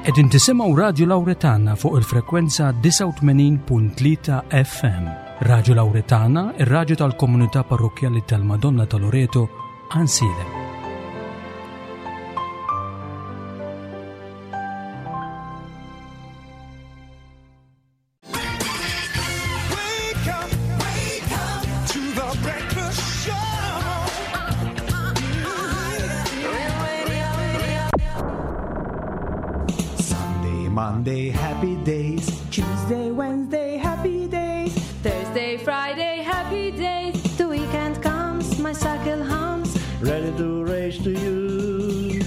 Qegħdin tisimgħu Radju Lawretana fuq il-frekwenza 89.3 FM. Radju Lawretana, ir-radju tal-komunità parrokkjali tal-Madonna ta' Loreto, Għansielem. Sunday, Monday, happy days. Tuesday, Wednesday, happy days. Thursday, Friday, happy days. The weekend comes, my cycle hums. Ready to race to you.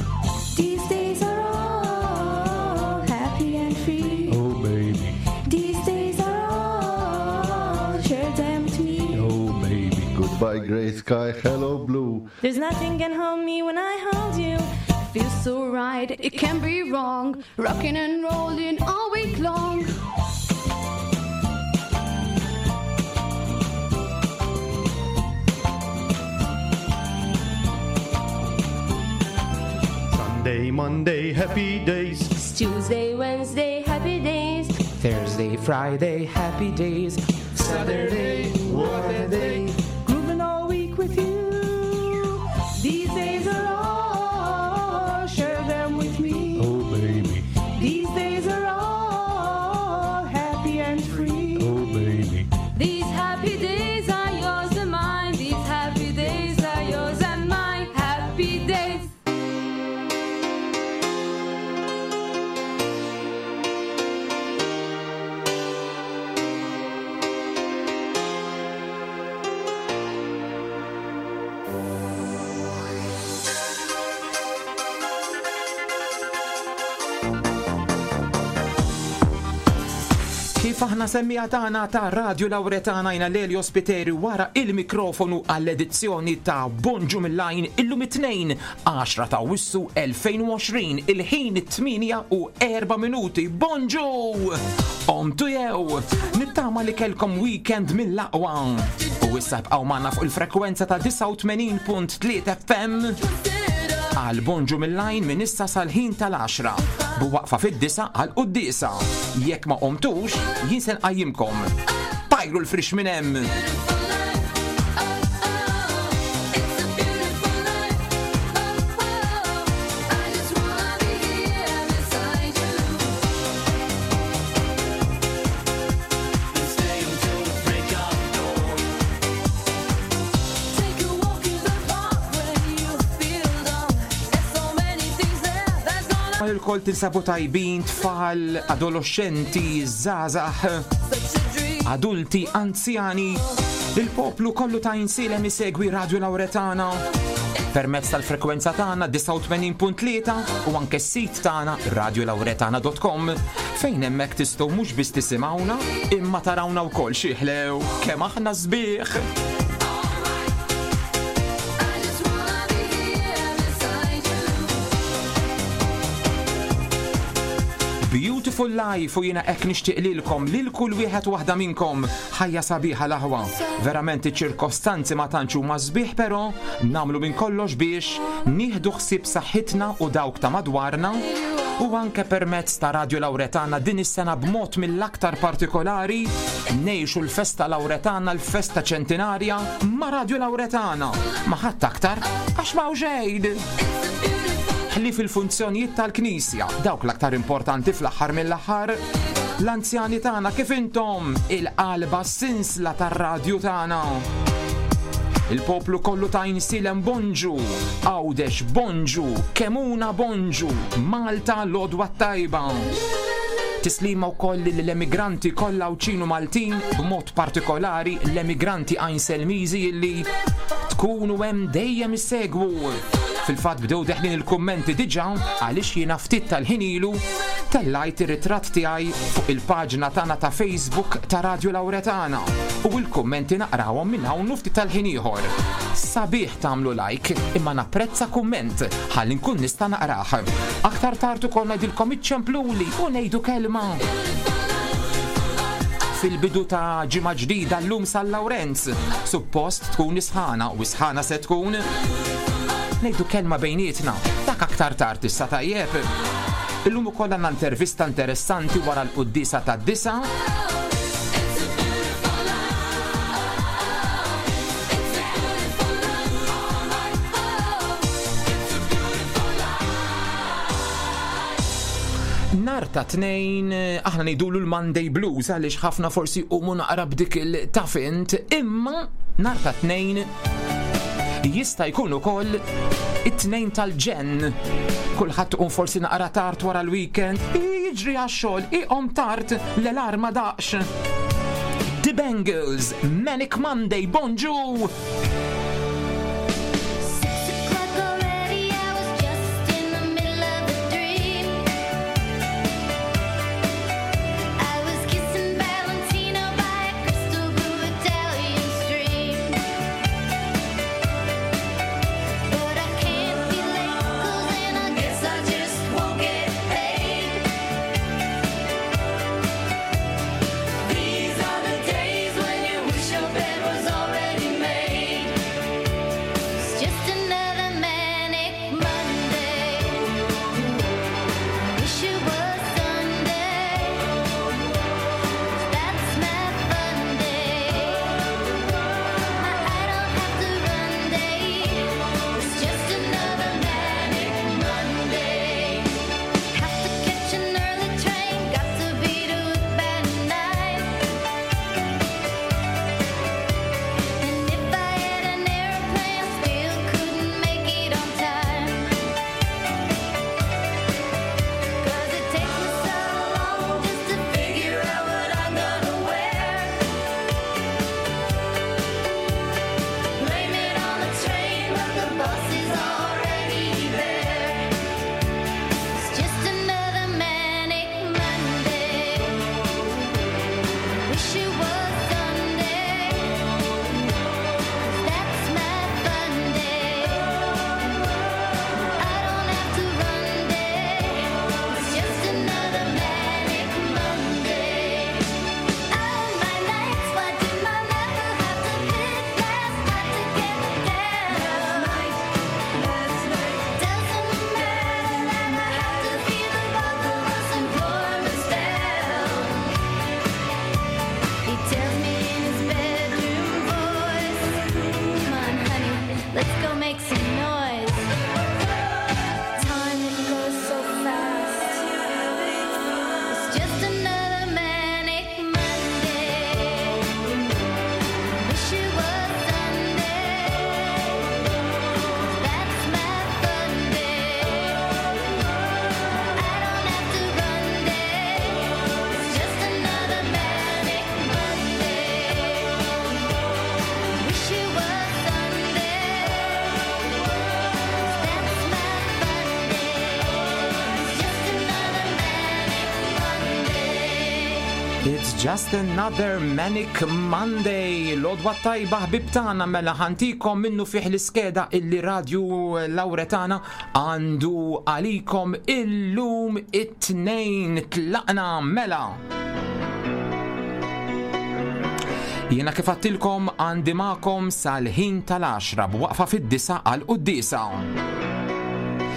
These days are all happy and free. Oh, baby. These days are all, share them with me. Oh, baby. Goodbye, gray sky. Hello, blue. There's nothing can hold me when I hold you. Feels so right, it can't be wrong. Rocking and rolling all week long. Sunday, Monday, happy days. It's Tuesday, Wednesday, happy days. Thursday, Friday, happy days. Saturday, what a day. Grooving all week with you. These days are all, share them with me. Oh, baby. These days are all happy and free. Oh, baby. These happy days are yours and mine. These happy days are yours and mine. Happy days. Kif aħna semmija tagħna ta' Radio Lawretana jina Lelio Spiteri wara il-mikrofonu għall-edizzjoni ta' Bonġu mill-Lajn illum it-tnejn 10 ta' Wissu 2020 il-ħin 8 u 4 minuti. Bonġu! Omtu jew! Nittama li kelkom weekend mill-aqwa. U issa bqgħu magħna fuq il-frekwenza ta' 89.3 FM għal Bonġu mill-Lajn minn issa sal-ħin tal-10 bu waqfa fid-disa għal quddisa. Jekk ma qomtux, jien se nqajjimkom. Tajru l-frix minn hemm. Il-kol tinsabu tajbin, tfal, adolescenti, żgħażagħ, adulti, anzjani. Il-poplu kollu ta' insilem isegwi Radio Lauretana permezz tal-frekwenza tagħna 89.3 u anke s-sit tagħna radiolauretana.com fejn hemmhekk tistgħu mhux biss tisimgħuna imma tarawna wkoll xi ħlew kemm aħna sbieħ. Beautiful Life u jiena hekk nixtieq lilkom lil kull wieħed waħda minnkom ħajja sabiħa l-aħwa. Verament iċ-ċirkostanzi ma tantx huma sbieħ però nagħmlu minn kollox biex nieħdu ħsieb saħħitna u dawk ta' madwarna u anke permezz ta' Radio Lawretana din is-sena b'mod mill-aktar partikolari ngħixu l-festa Lawretana l-festa ċentinarja ma' Radio Lawretana. Ma ħadd aktar għax ma xejn. Ħlief il-funzjonijiet tal-Knisja, dawk l-aktar importanti fl-aħħar mill-aħħar, l-anzjani tagħna kif intom il-qalba sinsla tar-radju tagħna. Il-poplu kollu ta' Insilem bonġu, Għawdex bonġu, Kemuna bonġu, Malta l-odwa tajba. Tislima wkoll lill-emigranti kollha Għawdxin u Maltin, b'mod partikolari l-emigranti Għajnselmiżi illi tkunu hemm dejjem issegwu. Fil-fatt bdew deħlin il-kummenti diġà għaliex jiena ftit tal-ħin ilu tellajt ir-ritratt tiegħi fuq il-paġna tagħna ta' Facebook ta' Radio Lawretana u l-kummenti naqrawhom minn hawn u ftit tal-ħin ieħor. Sabiħ tagħmlu like imma napprezza kumment ħalli nkun nista' naqrah. Aktar tard ukoll ngħidilkom iċċempluli u ngħidu kelma. Fil-bidu ta' ġimgħa ġdida llum San Lawrenz, suppost tkun isħana u isħana se tkun. Ngħidu kelma bejnietna, dak aktar tard issa tajjeb. Illum ukoll għandna intervista interessanti wara l-quddiesa tad-disa. Nar ta' tnejn, aħna ngħidulu l-Monday Blues għaliex ħafna forsi jqumu naqra b'dik il-tafint, imma nar ta' tnejn jista' jkun ukoll it-tnejn tal-ġenn. Kulħadd tqum forsi naqra tard wara l-weekend, jiġri għax-xogħol, iqom tard l-alarm ma daqx. The Bengals, Manic Monday, bonġu! It's just another manic Monday. L-odwa tajba ħbib tagħna mela ħantikom minnu fih l-iskeda illi Radju Lawretana għandu għalikom illum it-tnejn tlaqna mela. Jiena kif għattilkom għandi magħkom sal-ħin tal-10 b'waqfa fid-disa għal quddisa.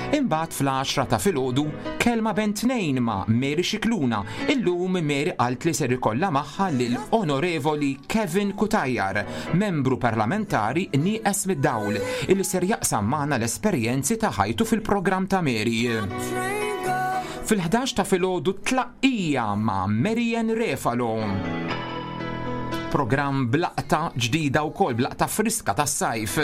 Imbagħad fl-10 ta' filgħodu kelma ben tnejn ma' Mary Xikluna. Illum Mary qalt li ser ikollha magħha lil Onorevoli Kevin Cutajar, membru parlamentari nieqes mid-dawl, illi ser jaqsam magħna l-esperjenzi ta' ħajtu fil-programm ta' Mary. Fil-11 ta' filgħodu tlaqqija ma' Marian Refalo. Programm blaqta ġdida wkoll, blaqta friska tas-sajf.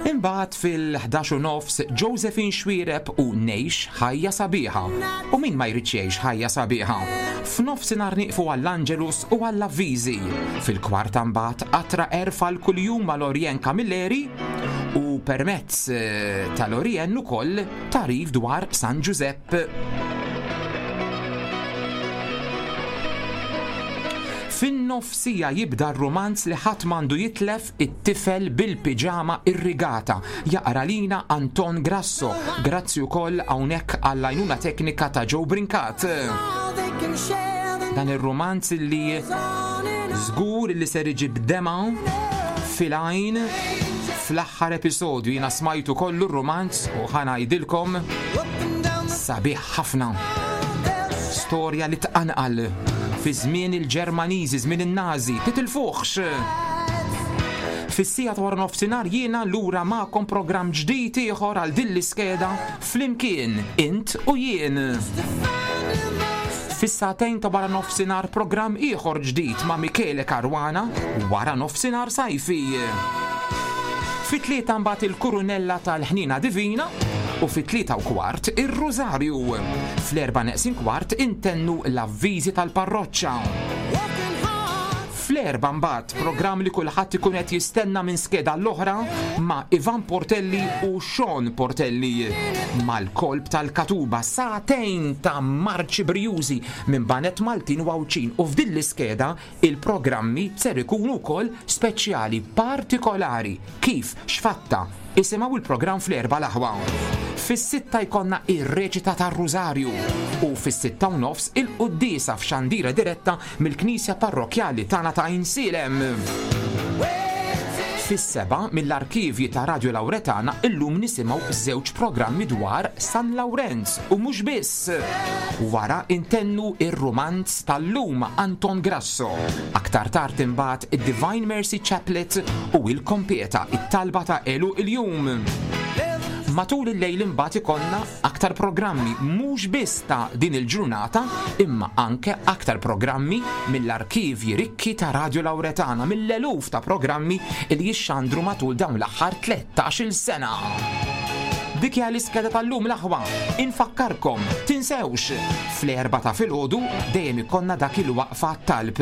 Imbagħad fil-11 u nofs Josephine Xwireb u Ngħix Ħajja Sabiħa. U min ma jridx jgħix ħajja sabiħa? F'nofsinhar nieqfu għall-Angelus u għall-avviżi. Fil-kwarta mbagħad qatra għerf għal kuljum ma' Lorien Camilleri u permezz eh, ta' Lorien ukoll tagħrif dwar San Ġużepp. Fin-nofsija jibda r-rumanz li ħadd m'għandu jitlef it-tifel bil-piġama irrigata. Jaqra lina Anton Grasso. Grazzi wkoll hawnhekk għall-għajnuna teknika ta' Joe Brincat. Dan ir-rumanz li żgur li ser iġib dema fil-għajn fl-aħħar episodju jiena smajtu kollu r-rumanz u ħa ngħidilkom sabiħ ħafna. Storja li tqanqal fi żmien il-Ġermaniżi, żmien in-Nazi, titilfuhx! Fis-siegħa ta' wara nofsinhar jiena lura magħkom programm ġdid ieħor għal din l-iskeda flimkien int u jien. Fis-sagħtejn ta' wara nofsinhar programm ieħor ġdid ma' Michele Caruana wara nofsinhar sajfi. Fit-tlieta mbagħad il-Kurunella tal-Ħniena Divina u fit-3:15 ir-Rużarju. Fl-erba' neqsin kwart intennu l-avviżi tal-parroċċa. Fl-erba' mbagħad programm li kulħadd ikun qed jistenna minn skeda l-oħra ma' Ivan Portelli u Sean Portelli. Mal-kolb tal-Katuba sagħtejn ta' marċi brijużi minn baned Maltin u Għawdxin u f'din l-iskeda Il-programmi ser ikunu wkoll speċjali, partikolari. Kif? X'fatta? Isimgħu il-programm fl-Erbgħa l-Aħwa. Fis-sitta jkollna ir-reċita tar-Rużarju u fis-6:30 il-quddiesa f'xandira diretta mill-Knisja Parrokkjali tagħna ta' Għajnsielem. Fis-sebgħa mill-arkivji ta' Radio Lauretana illum nisimgħu żewġ programmi dwar San Lawrenz u mhux biss. Wara intennu ir-rumanz tal-lum Anton Grasso. Aktar tard imbagħad id-Divine Mercy Chaplet u il-Kompieta, it-talba ta' għeluq il-jum. Matul il-lejl imbagħad ikollna aktar programmi mhux biss ta' din il-ġurnata imma anke aktar programmi mill-arkivji rikki ta' Radio Lauretana mill-eluf ta' programmi li jixxandru matul dawn l-aħħar 13-il sena. Dik hija l-iskeda tal-lum l-aħwa. Infakkarkom, tinsewx, fl-erba ta' filgħodu dejjem ikollna dak il-waqfa talb.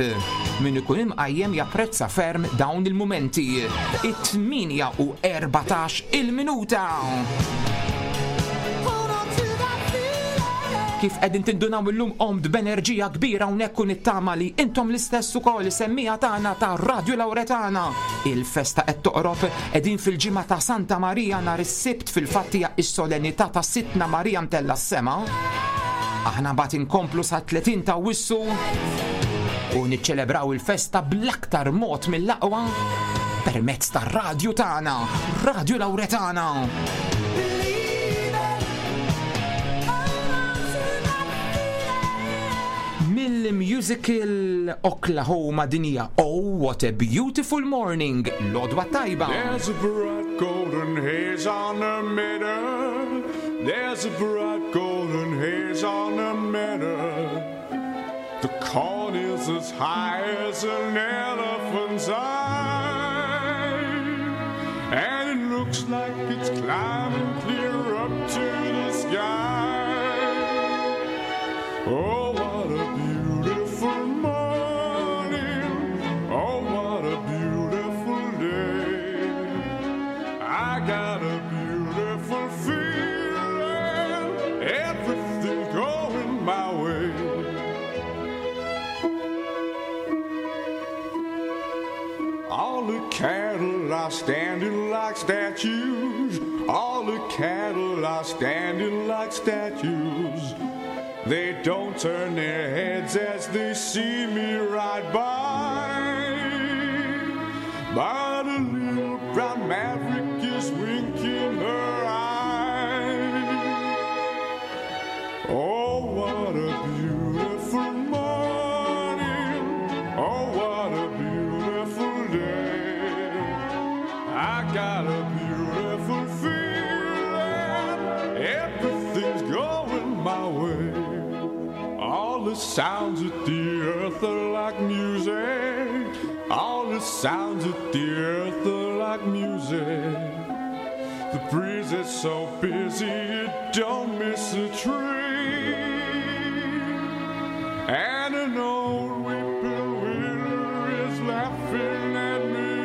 Min ikun imqajjem japprezza ferm dawn il-mumenti. It-8 u 14 il-minuta. Kif qegħdin tindunaw illum qomt b'enerġija kbira hawnhekk u nittama li intom l-istess ukoll semmija tagħna ta' Radio Lauretana. Il-festa qed toqrob, qegħdin fil-ġimgħa ta' Santa Marija nhar is-Sibt fil-fatt hija s-solennità ta' Sidtna Marija mtella' s-sema. Aħna mbagħad inkomplu sa 30 ta' Awwissu u niċċelebraw il-festa bl-aktar mod mill-aqwa permezz tar-radju tagħna, Radio Lauretana. Mill-musical Oklahoma din hija Oh What a Beautiful Morning, l-għodwa tajba. There's a bright golden haze on the meadow. There's a bright golden haze on the meadow. The corn is as high as an elephant's eye. And it looks like it's climbing clear up to the sky. Oh, what a beautiful morning. Oh, what a beautiful day. I got a beautiful feeling. Everything's going my way. All the cattle are standing like statues. All the cattle are standing like statues. They don't turn their heads as they see me ride by. But a little brown maverick is winking her eye. Oh, what a beautiful morning. Oh, what a beautiful day. I got a beautiful feeling. Everything's going my way. All the sounds of the earth are like music. All the sounds of the earth are like music. The breeze is so busy, it don't miss a tree. And an old whippoorwill is laughing at me.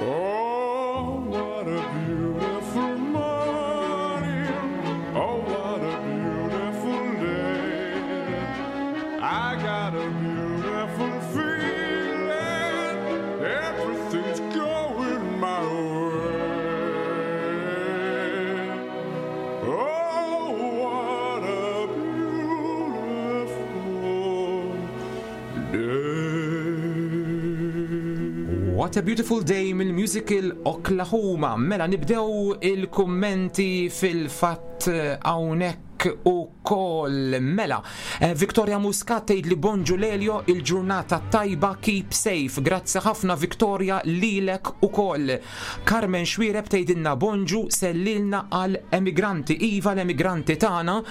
Oh, what a beautiful morning. Oh, what a beautiful day. I got a beautiful feeling. Everything's going my way. Oh, what a beautiful day. What a Beautiful Day mill-musical Oklahoma. Mela nibdew il-kummenti fil-fatt hawnhekk. lilek ukoll. Mela, eh, Victoria Muscat tgħid li bonġu Lelio il-ġurnata tajba keep safe. Grazzi ħafna Victoria lilek ukoll. Carmen Xwireb tgħidilna bonġu sellilna għal emigranti. Iva l-emigranti tagħna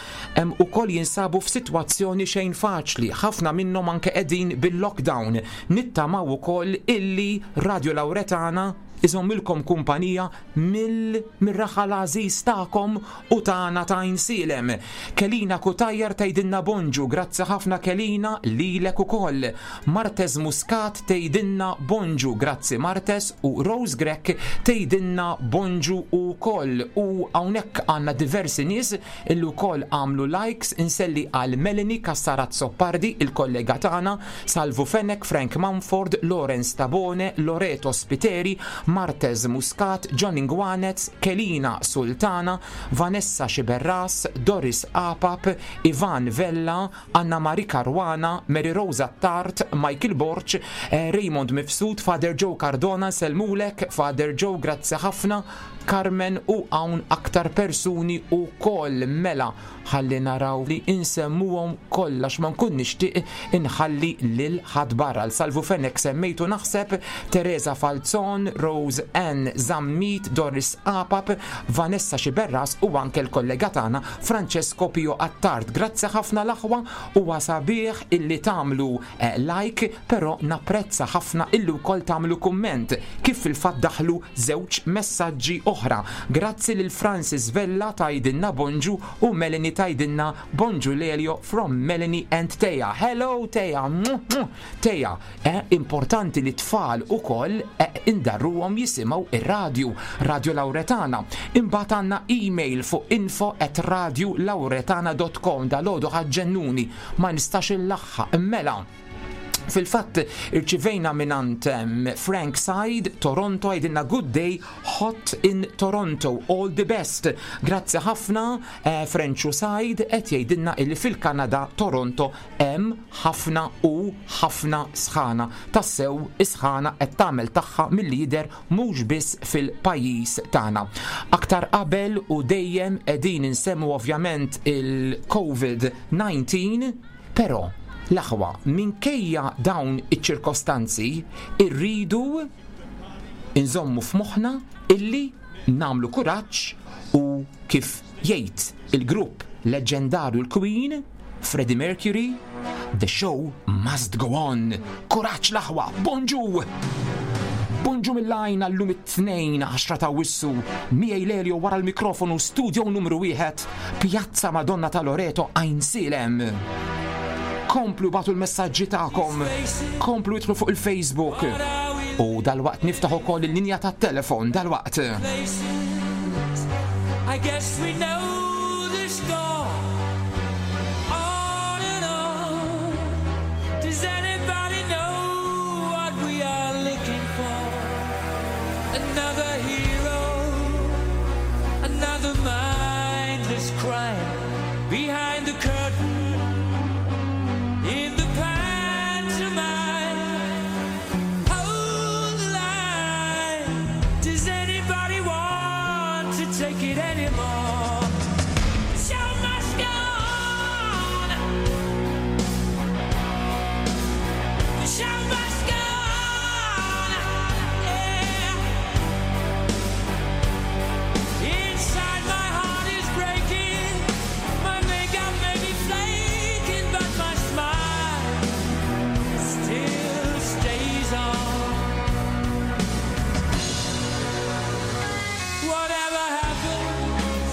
ukoll jinsabu f'sitwazzjoni xejn faċli. Ħafna minnhom anke qegħdin bil-lockdown. Nittamaw ukoll illi Radio Lauretana iżommilkom kumpanija mill-raħal għażiż tagħkom u tagħna ta' Għajnsielem. Kelina Cutajar tgħidilna bonġu, grazzi ħafna Kelina lilek ukoll. Martez Muscat tgħidilna bonġu, grazzi Martez u Rose Grech tgħidilna bonġu ukoll. U hawnhekk għandna diversi nies illi wkoll għamlu likes, inselli għal Melanie Cassar Azzopardi, il-kollega tagħna, Salvu Fenech, Frank Mumford, Lawrence Tabone, Loreto Spiteri, Martez Muscat, John Ingwanez, Kelina Sultana, Vanessa Sciberras, Doris Apap, Ivan Vella, Anna Marie Caruana, Mary Rose Attard, Michael Borg, Raymond Mifsud, Father Joe Cardona, nsellmulek, Father Joe, grazzi ħafna, Carmen u hawn aktar persuni wkoll. Mela, ħalli naraw li insemmuhom kollha għax ma nkun nixtieq inħalli lil ħadd barra. L Salvu Fenech semmejtu naħseb, Teresa Falzon, Rose Ann Zammit, Doris Apap, Vanessa Sciberras u anke l-kollega tagħna Francesco Pio Attard. Grazzi ħafna l-aħwa, huwa sabiħ illi tagħmlu like, però napprezza ħafna illi wkoll tagħmlu kumment, kif fil-fatt daħlu żewġ messaġġi oħra. Grazzi lil Francis Vella tgħidilna bonġu u Melanie tgħidilna bonġu Lelio from Melanie and Thea. Hello Thea! Thea, eh, importanti li t-tfal ukoll eh, indarruhom jisimgħu ir-radju, Radio Lauretana. Imbagħad għandna email fuq info at radiolauretana.com dalgħodu ħaġġennuni ma nistax illaħħaq. Mela, fil-fatt irċivejna minant Frank Said, Toronto, għidilna good day, hot in Toronto, all the best. Grazzi ħafna, eh, Frenchu Said, qed jgħidilna illi fil-Kanada, Toronto, hemm ħafna u ħafna sħana. Tassew is-sħana qed tagħmel tagħha milli jidher mhux biss fil-pajjiż tagħna. Aktar qabel u dejjem qegħdin insemmu ovvjament il-COVID-19, però l-aħwa minkejja dawn iċ-ċirkostanzi irridu inżommu f'moħħna illi nagħmlu kuraġġ u kif jgħid il-grupp leġġendarju l-Queen, Freddie Mercury, The show must go on. Kuraġġ l-aħwa, bonġu! Bonġu mill-għajn għallum it-tnejn 10 ta' wissu, miegħi Lelio wara l-mikrofonu studio numru 1, Pjazza Madonna ta' Loreto Għajnsielem. Komplu batu l-messaġġi tagħkom, komplu idħlu fuq il-Facebook. U dalwaqt niftaħ ukoll il-linja tat-telefon dalwaqt. I guess we know the score. On and on. Does anybody know what we are looking for? Another hero, another mindless crime behind the curtain in the pantomime. Hold the line. Does anybody want to take it anymore? The show must go on. The show must go on. Yeah. Inside my heart is breaking. My makeup may be flaking, but my smile still stays on. Whatever happens,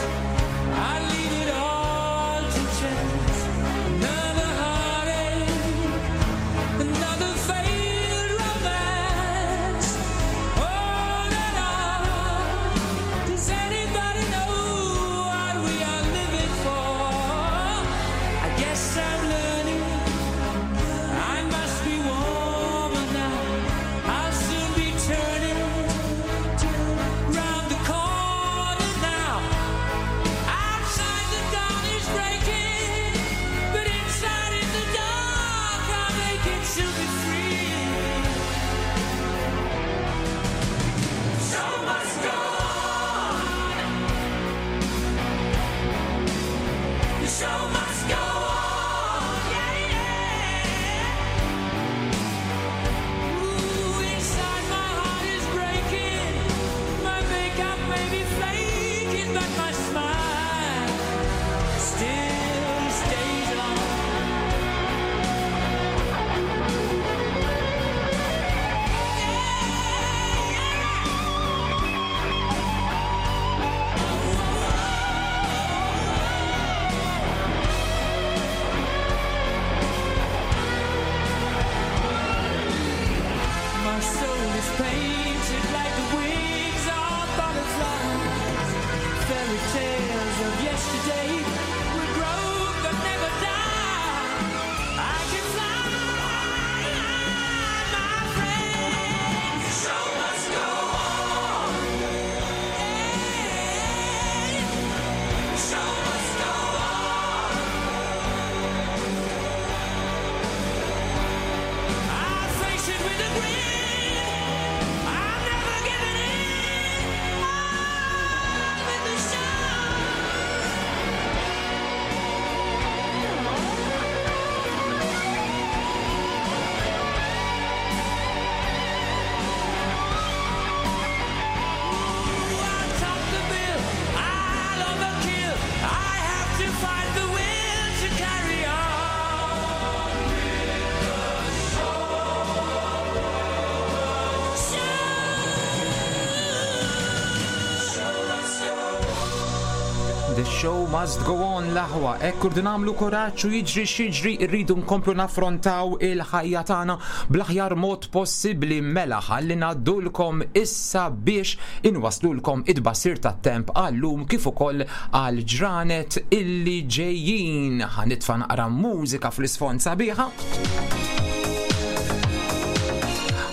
The show must go on l-aħwa, hekk irdu nagħmlu kuraġġ u jiġri x'jiġri rridu nkomplu naffrontaw il-ħajja tagħna bl-aħjar mod possibbli mela ħalli ngħaddulkom issa biex inwaslulkom it-tbassir tat-temp għal-lum kif ukoll għal ġranet illi ġejjin. Ħa nitfa' naqra mużika fl-isfond sabiħa.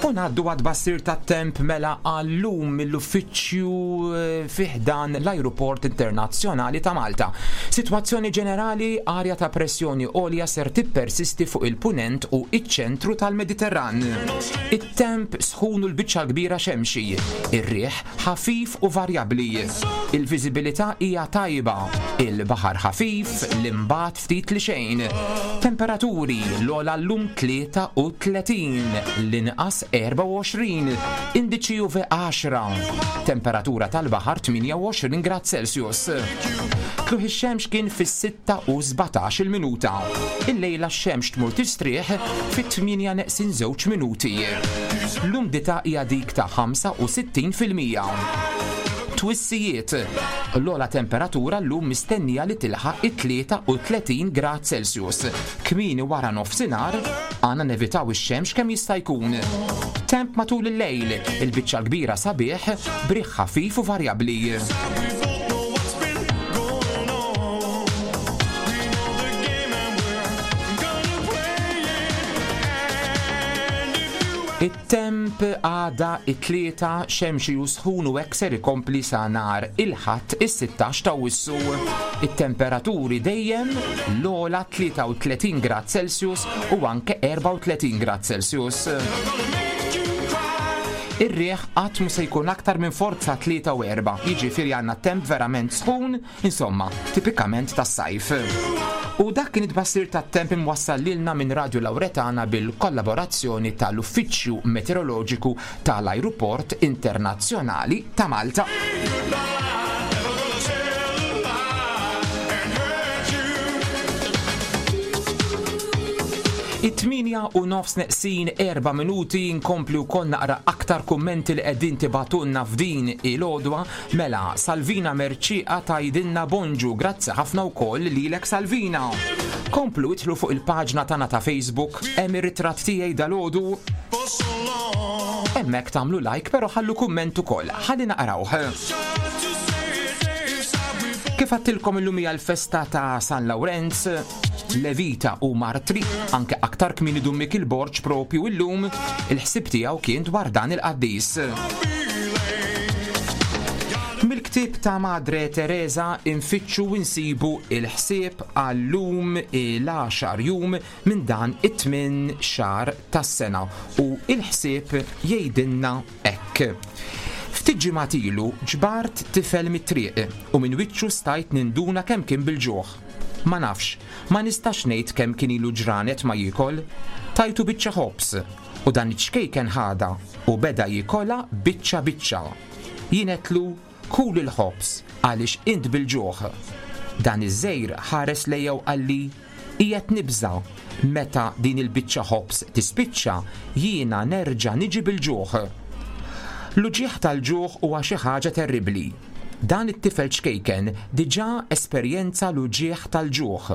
U ngħaddu għat-tbassir tat-temp mela għal-lum mill-uffiċċju eh, fi ħdan l-Ajruport Internazzjonali ta' Malta. Sitwazzjoni ġenerali, arja ta' pressjoni għolja ser tippersisti fuq il-punent u iċ-ċentru tal-Mediterran. It-temp sħun u l-biċċa l-kbira xemxi. Ir-riħ ħafif u varjabbli. Il-viżibilità hija tajba. Il-baħar ħafif, l-imbagħad ftit li xejn. Temperaturi, l-ogħla llum 33, l-inqas 24, indiċi UV 10, temperatura tal-baħar 28 grad Celsius. Tluħ ix-xemx kien fis-6 u 17 il-minuta. Illejla x-xemx tmur tistrieħ fit-8 neqsin żewġ minuti. L-umdità hija dik ta' 65%. Twissijiet, L-ogħla temperatura llum mistennija li tilħaq it-33 grad Celsius. Kmieni wara nofsinhar, għandna nevitaw ix-xemx kemm jista' jkun. Temp matul il-lejl, il-biċċa l-kbira sabiħ, b'riħ ħafif u varjabbli. It-temp għada it-Tlieta xemxi u sħun u hekk ser ikompli sa nhar il-Ħadd is-16 t'Awwissu. It-temperaturi dejjem l-ogħla 33 grad Celsius u anke 34 grad Celsius. Ir-riħ qatt mhu se jkun aktar minn forza 3 u 4, jiġifieri għandna temp verament sħun Insomma, tipikament tas-sajf. U dak kien it-tbassir tat-temp imwassal lilna minn Radju Lawretana bil-kollaborazzjoni tal-Uffiċċju Meteoroloġiku tal-Ajruport Internazzjonali ta' Malta. It-tmienja u nofs neqsin erba' minuti nkompli wkoll naqra aktar kummenti li qegħdin tibagħtulna f'din il-għodwa Mela, Salvina Mercieqa tgħidilna bonġu, grazzi ħafna wkoll lilek Salvina. Komplu idħlu fuq il-paġna tagħna ta' Facebook, hemm ir-ritratt tiegħi dalgħodu. Hemmhekk tagħmlu like però ħallu kumment ukoll, ħalli naqrawh. Kif għattilkom illum hija l-festa ta' San Lawrenz, Levita u Martri, anke aktar kmieni Dun Mikiel Borg propju illum, il-ħsieb tiegħu kien dwar dan il-qaddis. Mill-ktieb ta' Madre Teresa infittxu u nsibu il-ħsieb għal-lum il-għaxar jum minn dan it-tmien xahar tas-sena u il-ħsieb jgħidilna hekk. Ftit ġimgħat ilu ġbart tifel mit-triq u minn wiċċu stajt ninduna kemm kien bil-ġuħ. Ma nafx, ma nistax ngħid kemm kien ilu ġranet ma jiekol. Tajtu biċċa ħobż, u dan iċ-ċkejken ħadha u beda jiekolha biċċa biċċa. Jien għedtlu, Kul il-ħobż, għaliex int bil-ġuħ. Dan iż-żgħir ħares lejja u qalli, Qiegħed nibża', meta din il-biċċa ħobż tispiċċa, jiena nerġa' niġi bil-ġuħ. L-uġigħ tal-ġuħ huwa xi ħaġa terribbli. Dan it-tifel ċkejken diġà esperjenza l-uġigħ tal-ġuħ,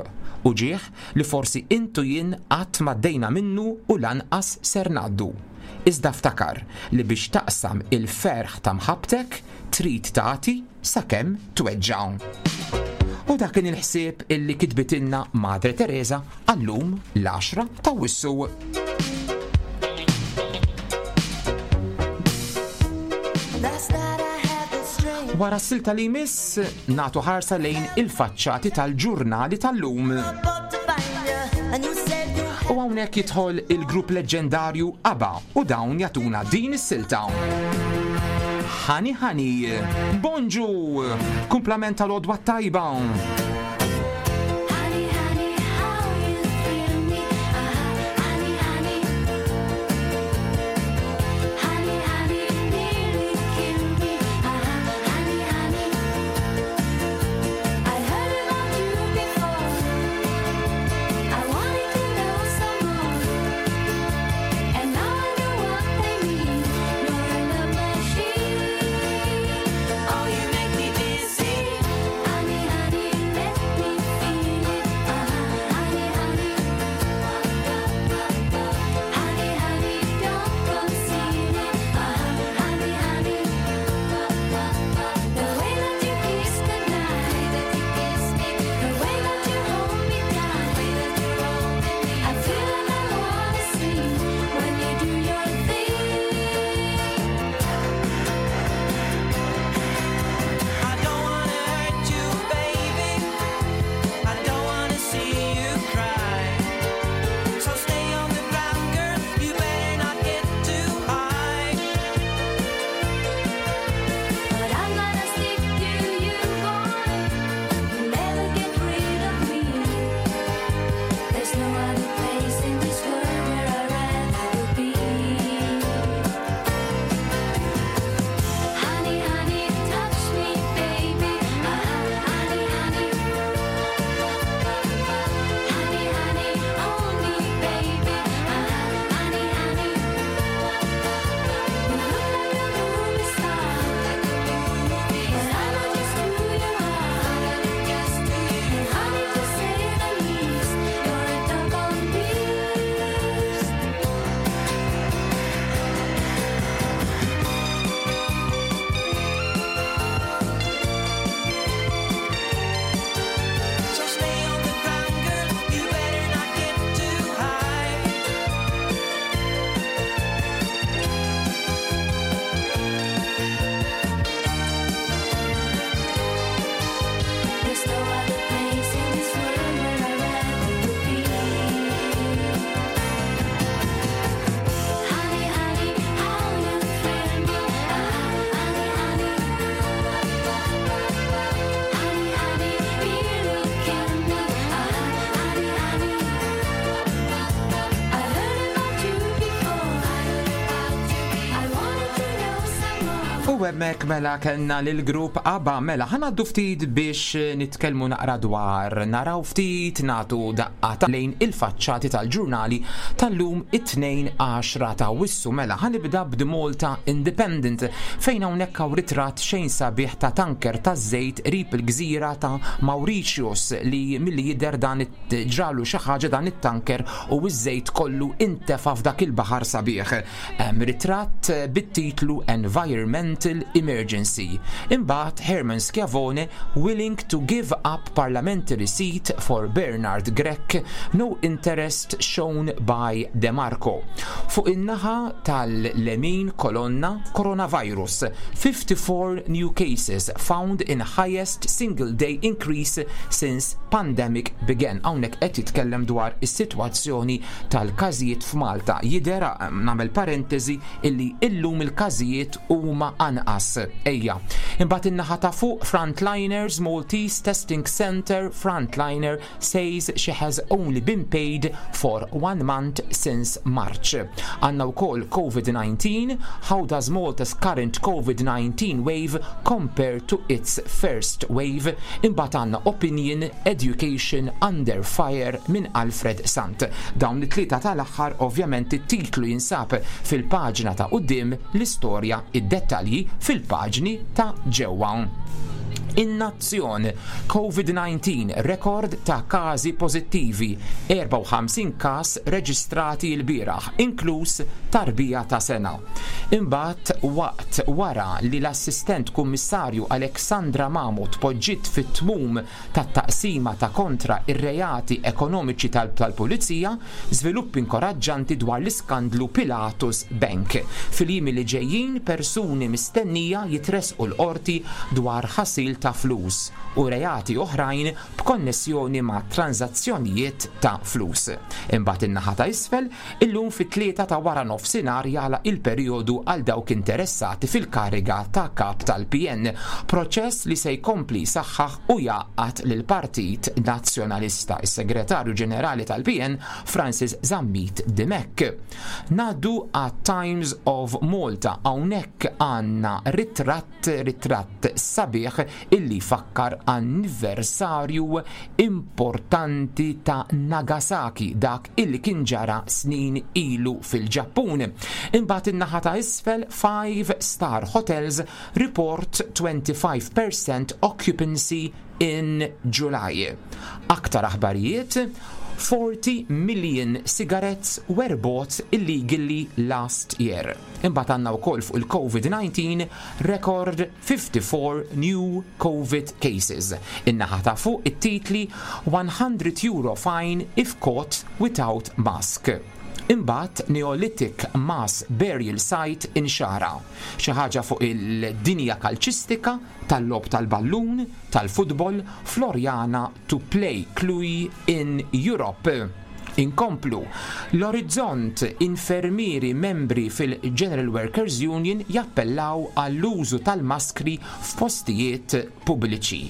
uġigħ li forsi int u jien qatt m'għaddejna minnu u lanqas ser ngħaddu. Iżda ftakar li biex taqsam il-ferħ ta' mħabbtek trid tagħti sakemm tweġġa'. U dak kien il-ħsieb illi kitbitilna Madre Teresa għal-lum l-għaxra t'Awwissu. Wara s-silta li jmiss, nagħtu ħarsa lejn il-faċċati tal-ġurnali tal-lum. U hawnhekk jidħol il-grupp leġġendarju ABBA u dawn jagħtuna din is-silta. Ħani ħani, bonġu, kumplament tal-għodwa tajba. U hemmhekk mela kellna lill-grupp ABBA mela ħa ngħaddu ftit biex nitkellmu naqra dwar naraw ftit nagħtu daqqa ta' lejn il-faċċati tal-ġurnali tal-lum it-Tnejn 10 ta' Awwissu mela ħa nibda b'The Malta Independent fejn hawnhekk hawn ritratt xejn sabiħ ta' tanker taż-żejt qrib il-gżira ta' Mauritius li milli jidher dan ġralu xi ħaġa dan it-tanker u ż-żejt kollu intefa' f'dak il-baħar sabiħ. Hemm ritratt bit-titlu Environmental Emergency. Imbagħad Herman Schiavone willing to give up parliamentary seat for Bernard Grech, no interest shown by De Marco. Fuq in-naħa tal-lemin kolonna Coronavirus, 54 new cases found in highest single day increase since pandemic began. Hawnhekk qed jitkellem dwar is-sitwazzjoni tal-każijiet f'Malta. Jidher, nagħmel parentesi, illi illum il-każijiet huma anqas. Ejja. Imbagħad in-naħa ta' fuq Frontliners Maltese Testing Centre Frontliner says she has only been paid for one month since March. Għandna wkoll COVID-19, How does Malta's current COVID-19 wave compare to its first wave? Imbagħad għandna Opinion, Education under fire minn Alfred Sant. Dawn it-tlieta tal-aħħar ovvjament it-titlu jinsab fil-paġna ta' quddiem, l-istorja, id-dettalji fil-paġni ta' ġewwa. In-Nazzjon, Covid-19, rekord ta' każi pożittivi, 54 każ reġistrati lbieraħ, inkluż tarbija ta' sena. Imbagħad waqt wara li l-Assistent Kummissarju Alexandra Mamo tpoġġiet fit-tmum tat-Taqsima ta' Kontra r-Reati Ekonomiċi tal-Pulizija, żviluppi inkoraġġanti dwar l-iskandlu Pilatus Bank. Fil-jiem li ġejjin persuni mistennija jitressqu l-Qorti dwar ħasil ta' flus u reati oħrajn b'konnessjoni ma' tranżazzjonijiet ta' flus. Imbagħad in-naħa ta' isfel, Illum fit-tlieta ta' wara nofsinhar jagħlaq il-perijodu għal dawk interessati fil-kariga ta' Kap tal-PN, proċess li se jkompli jsaħħaħ u jgħaqqad lill-Partit Nazzjonalista, is-Segretarju Ġenerali tal-PN Francis Zammit Dimech. Ngħaddu għat-Times of Malta, hawnhekk għandna ritratt ritratt sabiħ illi jfakkar anniversarju importanti ta' Nagasaki, dak illi kien ġara snin ilu fil-Ġappun. Imbagħad in-naħa ta' isfel 5 star hotels report 25% occupancy in July. Aktar aħbarijiet, 40 million cigarettes were bought illegally last year. Imbagħad għandna wkoll fuq il-COVID-19 record 54 new COVID cases. In-naħa ta' fuq it-titli 100 euro fine if caught without mask. Imbagħad Neolithic mass burial site inxara. Xi ħaġa fuq il-dinja kalċistika tal-logħob tal-ballun, tal-futbol, Floriana to play Cluj in Europe. Inkomplu. L-Orizzont, Infermieri membri fil-General Workers Union jappellaw għall-użu tal-maskri f'postijiet pubbliċi.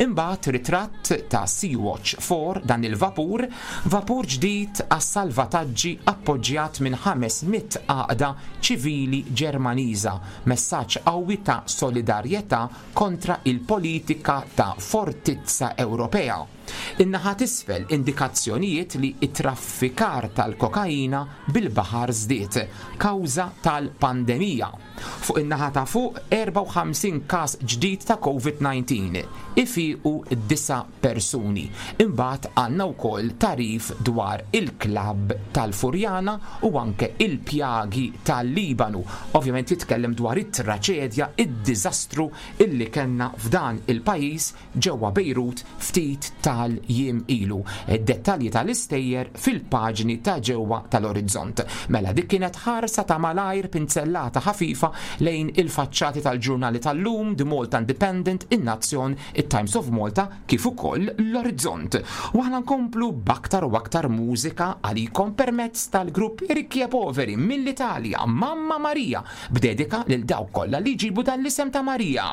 Imbagħad ritratt ta' Sea-Watch 4 dan il-vapur, vapur ġdid għas-salvataġġi appoġġjat minn 500 għaqda ċivili Ġermaniża, messaġġ qawwi ta' solidarjetà kontra il-politika ta' fortizza Ewropea. In-naħa t'isfel indikazzjonijiet li t-traffikar tal-kokaina bil-baħar żdied kawża tal-pandemija. Fuq in-naħa ta' fuq 54 każ ġdid ta' Covid-19, ifiequ disa' persuni. Imbagħad għandna wkoll tagħrif dwar il-klabb tal-Furjana u anke il-pjagi tal-Libanu. Ovvjament jitkellem dwar it-traċedja, id-diżastru illi kellna f'dan il-pajjiż ġewwa Bejrut ftit tal-jiem ilu. Id-dettalji tal-istejjer fil-paġni ta' ġewwa tal-Orizzont. Mela dik kienet ħarsa ta' malajr pinzellata ħafifa lejn il-faċċati tal-ġurnali tal-lum, The Malta Independent, In-Nazzjon, it-Times of Malta kif ukoll l-Orizzont. U aħna nkomplu b'aktar u aktar mużika għalikom permezz tal-grupp Ricchi e Poveri mill-Italja, Mamma Maria, b'dedika lil dawk kollha li jġibu dan l-isem ta' Marija.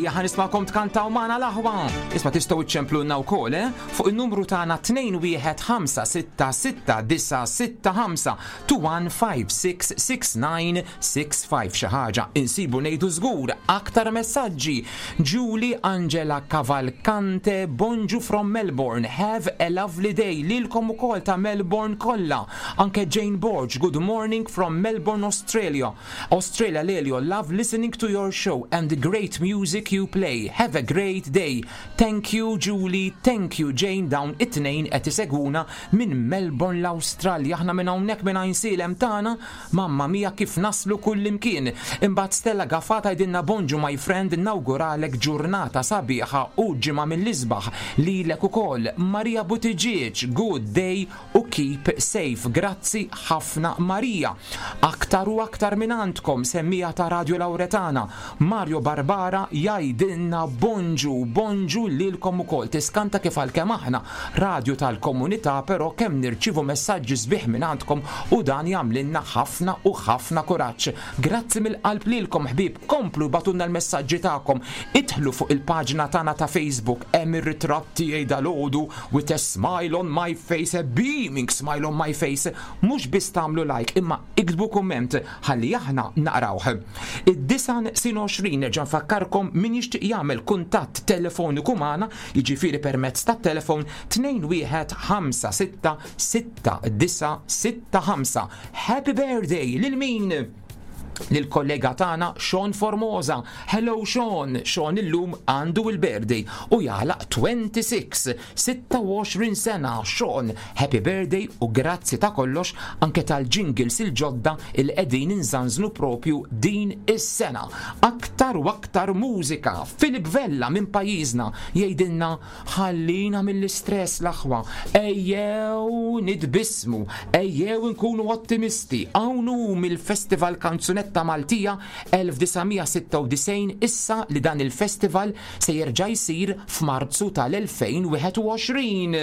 Ejja ħa nismagħkom tkantaw magħna l-aħwa. Isma' tistgħu iċċemplulna wkoll, eh? Fuq in-numru tagħna 2156696 21566965 xi ħaġa insibu ngħidu żgur aktar messaġġi. Julie Angela Cavalcante, bonġu from Melbourne. Have a lovely day lilkom ukoll ta' Melbourne kollha. Anke Jane Borg, good morning from Melbourne, Australia. Australia Lelio, love listening to your show and the great music you play. Have a great day. Thank you Julie, thank you Jane dawn it-tnejn qed isegwuna minn Melbourne l-Awstralja. Aħna minn hawnhekk minn Għajnsielem tagħna, mamma mia kif naslu kullimkien. Imbagħad Stella Gafà tgħidilna bonġu my friend nawguralek ġurnata sabiħa u ġimgħa mill-isbaħ lilek ukoll. Maria Buttigieg, good day u keep safe. Grazzi ħafna Maria. Aktar u aktar minn għandkom semmiegħa ta' Radio Lauretana. Mario Barbara jgħidilna bonġu, bonġu lilkom ukoll. Tiskanta kif għalkemm aħna radju tal-komunità però kemm nirċievu messaġġi sbieħ minn għandkom u dan jagħmlilna ħafna u ħafna kuraġġ. Grazzi mill-qalb lilkom ħbieb, komplu ibagħtulna l-messaġġi tagħkom. Idħlu fuq il-paġna tagħna ta' Facebook hemm ir-ritratt tiegħi dalgħodu with a smile on my face, a beaming smile on my face. Mhux biss tagħmlu like imma iktbu kumment ħalli aħna naqrawh. Id-disgħa neqsin 20 nerġa' nfakkarkom min jixtieq jagħmel kuntatt telefoniku magħna, jiġifieri permezz tat-telefon 21566965. Happy birthday lil min? Lill-kollega tagħna Sean Formosa. Hello Sean, Sean illum għandu il-birthday u jagħlaq 26, 26 sena. Sean, happy birthday u grazzi ta' kollox anke tal-jingles il-ġodda il qegħdin inżanżnu propju din is-sena. Aktar u aktar mużika. Philip Vella minn pajjiżna jgħidilna Ħallina mill-istress l-aħwa, ejjew nitbissmu, ejjew inkunu ottimisti. Hawn hu mill-Festival Kanzunetta Maltija 1996 issa li dan il-festival se jerġa' jsir f'Marzu tal-2021.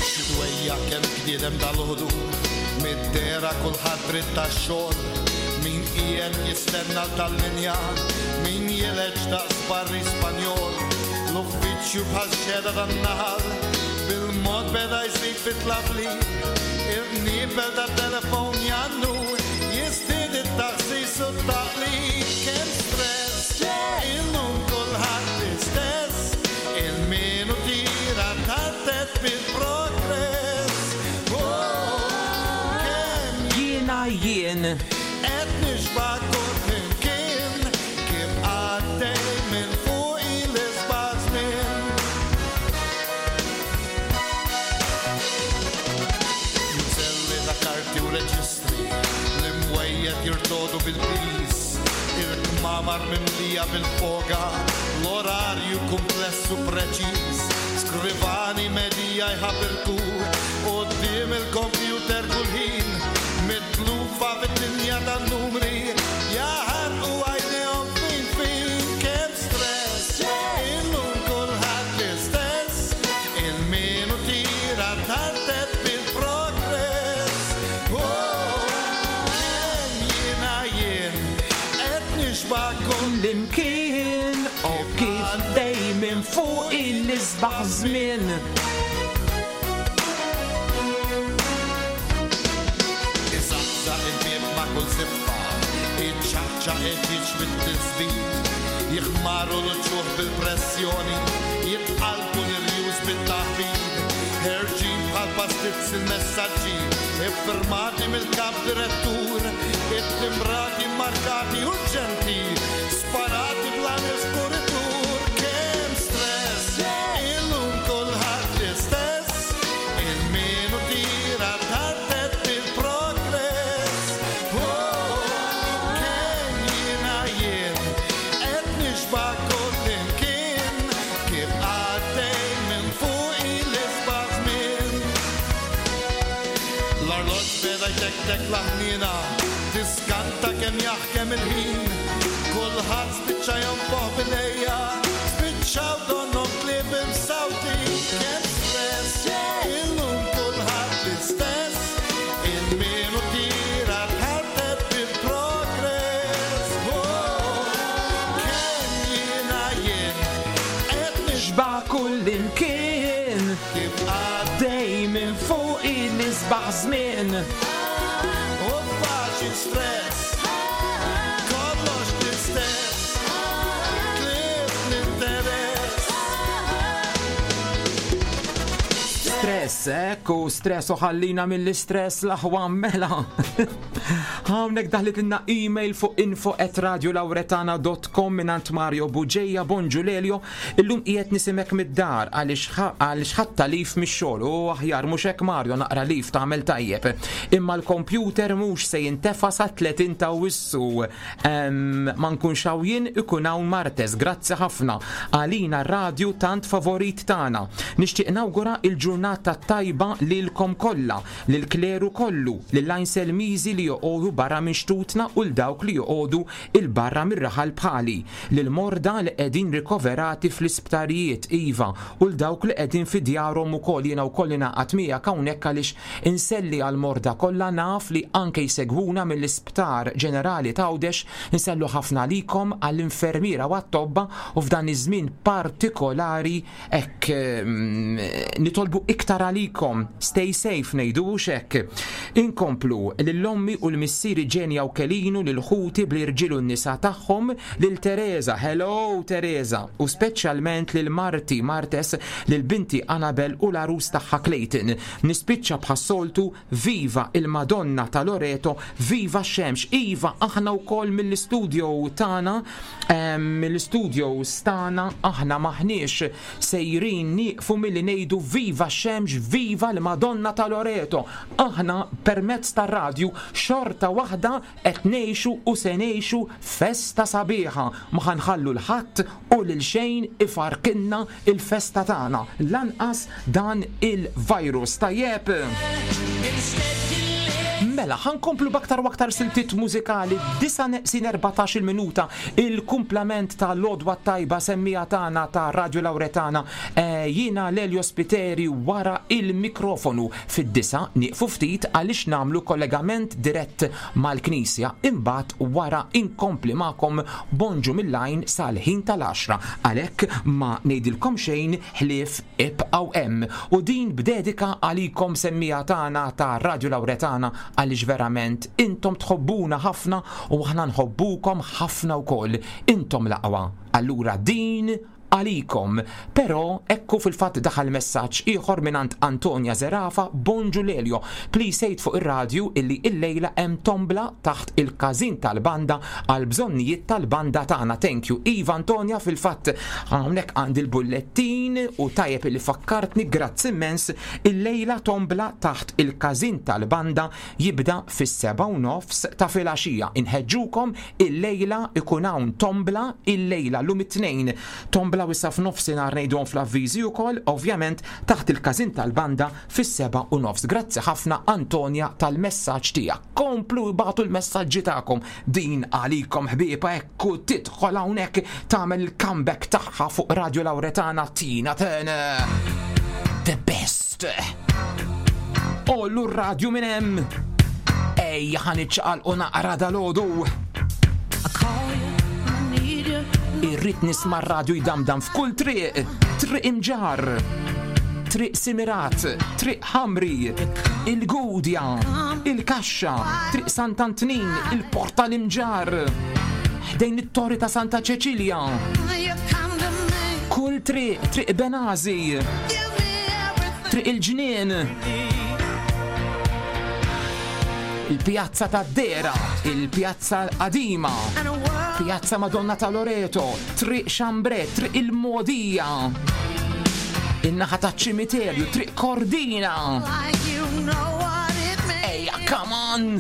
Xi dwejjaq kemm bniedem dal-ħodu Mid-dehra kulħadd dritt għax-xogħol Min qiegħed jistenna tal-linja Min jileġ daqs barri Spanjol L-uffiċċju bħal xehda tan-naħal Bil-mod beda jżid fit-tlabli Il-qniebel tat-telefon jgħannu Jiżdied it-taħsis u t-taqlib Kemm stress Illum kulħadd l-istess Il-minuti rattartet bil-progress Oh, kemm Jiena jien. Qed nixba' kullimkien Kif għaddej minn fuqi l-isbaħ żmien. Mżelli ta' karti u reġistri, l-imwejjed jirtodu bil-piż, il-kmamar mimlija bil-foga, l-orarju kumpless u preċiż, skrivani medija jħabirku quddiem il-kompjuter kull ħin, mitlufa fid-dinja tan-numri, jaħarqu għajnejhom fin fin, kemm stress, illum kulħadd l-istess, il-minuti rattartet bil-progress. Oh, kemm jiena jien, qed nixba' Kullimkien, u kif dejjem fuq il-isbaħ żmien. Iżaqżaq il-bieb ma' kull ziffa, iċċaqċaq il-ġieġ bit-tisbit, jiħmaru l-uċuħ bil-pressjoni, jitqalbu l-irjus bit-taħbit, ħerġin bħal pastizz il-messaġġi, iffirmati mill-kap direttur, it-timbrati mmarkati urġenti, sparati bla nifs kuritur. Kemm stress, illum kulħadd l-istess, il-minuti rattartet bil-progress. Oh, kemm jiena jien, qed nixba' kullimkien, kif għaddej minn fuqi l-isbaħ żmien. bla ħniena, tiskanta kemm jaħkem il-ħin, kulħadd spiċċa jonfoħ bil-ejja, spiċċaw donnhom klieb imsawtin, kemm stress, illum kulħadd l-istess, il-minu tira tħartet bil-progress. Oh, kemm jiena jien, qed Xba kull imkien kif għaddej minn fuq il-isbaħ żmien. U faċi stress, kollox l-istess, tlift l-interess. Stress, ekku, stress u ħallina mill-istress l-aħwa mela. Hawnhekk daħlitilna email fuq info@radiolauretana.com mingħand Mario Buġeja, bonġu Lelio, illum qiegħed nisimek mid-dar għaliex ħadd leave mix-xogħol u aħjar mhux hekk Mario naqra leave tagħmel tajjeb. Imma l-kompjuter mhux se jintefa' sa 30 ta' Awwissu. Ma nkunx hawn jien ikun hawn Martes, grazzi ħafna għalina r-radju tant favorit tagħna. Nixtieq nawgura il-ġurnata tajba lilkom kollha, lill-kleru kollu, lill-Għajnsel Miżi li joqogħdu barra minn xtutna u l dawk li joqogħdu 'il barra mir-raħal bħali, lill-morda li qegħdin rikoverati fl-isptarijiet, iva, u 'l dawk li qegħdin fi djarhom ukoll. Jiena wkoll ingħaqad miegħek hawnhekk għaliex inselli għall-morda kollha, naf li anke jsegwuna mill-Isptar Ġenerali t'Għawdex, insellu ħafna għalikom, għall-infermiera u għat-tobba u f'dan iż-żmien partikolari hekk nitolbu iktar għalikom. Stay safe ngħidu hux hekk. Inkomplu lil ommi u l-missieri Ġenja u Kelinu, lil ħuti bl-irġiel u n-nisa tagħhom, lil Teresa, hello Teresa, u speċjalment lil marti Martes, lil binti Anabel u l-għarus tagħha Clayton. Nispiċċa bħas-soltu, viva il-Madonna ta' Loreto, viva x-xemx. Iva, aħna wkoll mill-istudio tagħna, mill-istudios tagħna aħna m'aħniex sejrin nieqfu milli ngħidu viva x-xemx, viva l-Madonna ta' Loreto. Aħna permezz tar-radju xorta waħda qed ngħixu u se ngħixu festa sabiħa. Ma ħa nħallu 'l ħadd u lil xejn ifarkinna l-festa tagħna, lanqas dan il-virus. Tajjeb? Mela, ħa nkomplu b'aktar u aktar siltiet mużikali, 9 neqsin 14-il minuta, il-kumplament ta' l-għodwa t-tajba semmiegħa tagħna ta' Radio Lauretana. Jiena Lelio Spiteri wara il-mikrofonu. Fid-disgħa nieqfu ftit għaliex nagħmlu kollegament dirett mal-Knisja, imbagħad wara inkompli magħkom Bonġu mill-Għajn sal-ħin tal-għaxra. Għalhekk ma ngħidilkom xejn ħlief ibqgħu hemm. U din b'dedika għalikom semmiegħa tagħna ta' Radio Lauretana għaliex verament intom tħobbuna ħafna u aħna nħobbukom ħafna wkoll. Intom l-aqwa. Allura din għalikom. Però ekku fil-fatt daħal messaġġ ieħor mingħand Antonia Zerafa, Bonġu Lelio, please għid fuq ir-radju illi illejla hemm tombla taħt il-każin tal-banda għall-bżonnijiet tal-banda tagħna. Thank you. Iva Antonia, fil-fatt hawnhekk għandi l-bullettin u tajjeb illi fakkartni, grazzi immens. Illejla tombla taħt il-każin tal-banda jibda fis-7:30 ta' filgħaxija. Inħeġġukom illejla ikun hawn tombla illejla llum it-Tnejn. Tombla u issa f'nofsinhar ngħiduhom fl-avviżi ukoll, ovvjament taħt il-każin tal-banda fis-7:30. Grazzi ħafna Antonia tal-messaġġ tiegħek. Komplu ibagħtu l-messaġġi tagħkom. Din għalikom ħbieba hekk u tidħol hawnhekk tagħmel il-comeback tagħha fuq Radio Lauretana Tina Turner. The best. Ollu r-radju minn hemm. Ejja ħa niċċaqalqu naqra dalgħodu. Irrid nisma' r-radju jdamdam f'kull triq, triq imġar, triq Simirat, triq Ħamri, il-Gudja, il-Kaxxa, triq Sant'Antnin, il-Portal Imġar, ħdejn it-Torri ta' Santa Ċeċilja. Kull triq, triq Benazi, triq il-Ġnien, il-Pjazza tad-Dera, il-Pjazza l-Qadima, Pjazza Madonna ta' Loreto, Triq Xambre, Triq il-Modija, in-naħa taċ-ċimiterju, Triq Kordina. Ejja, come on!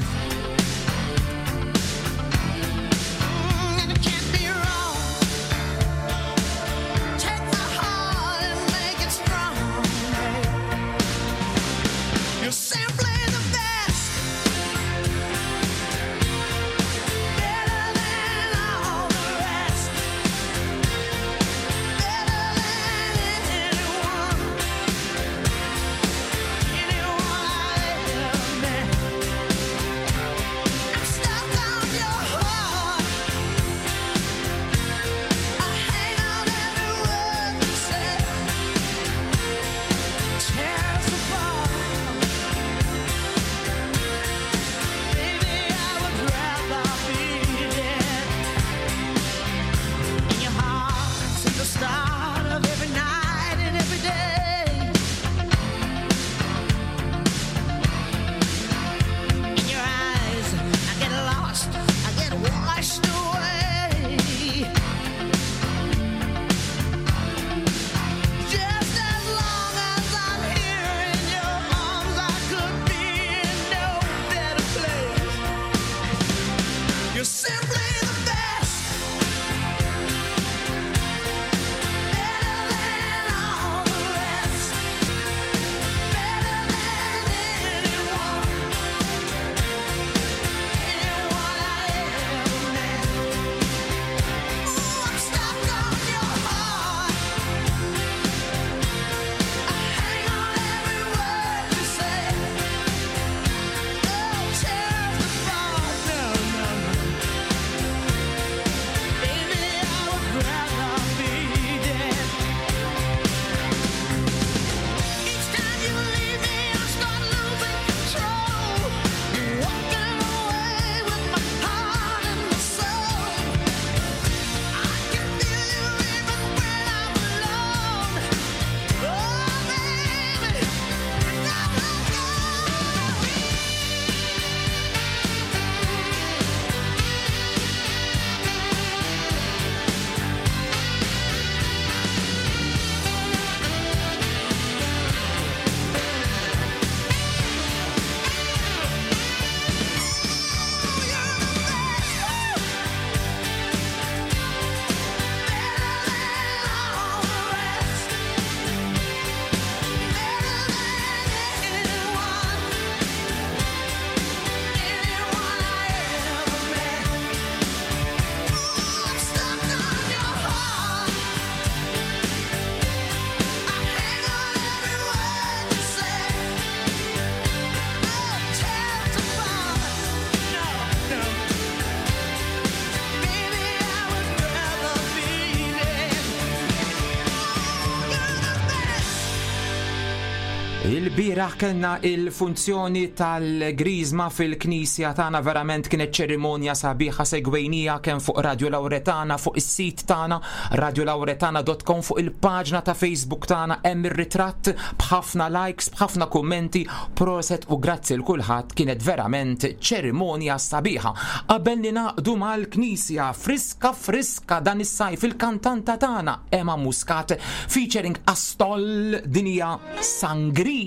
Il-bieraħ kellna il-funzjoni tal-Griżma fil-Knisja tagħna verament kienet ċerimonja sabiħa segwejnija kemm fuq Radio Lauretana fuq is-sit tagħna radiolauretana.com fuq il-paġna ta' Facebook tagħna hemm ir-ritratt b'ħafna likes, b'ħafna kummenti, proset u grazzi l kulħadd kienet verament ċerimonja sabiħa. Qabel ninaqdu mal-Knisja friska friska dan is-sajf il-kantanta tagħna Emma Muscat featuring Astol dinja Sangria.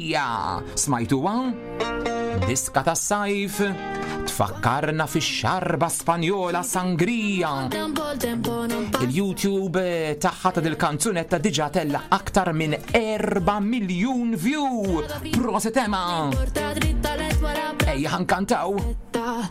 Smajtuha? Diska tas-sajf tfakkarna fix-xarba Spanjola Sangria. Il-YouTube eh, tagħha ta' dil-kanzunetta diġà tella aktar minn 4 miljun view. Proset Emma! Ejja ħankantaw.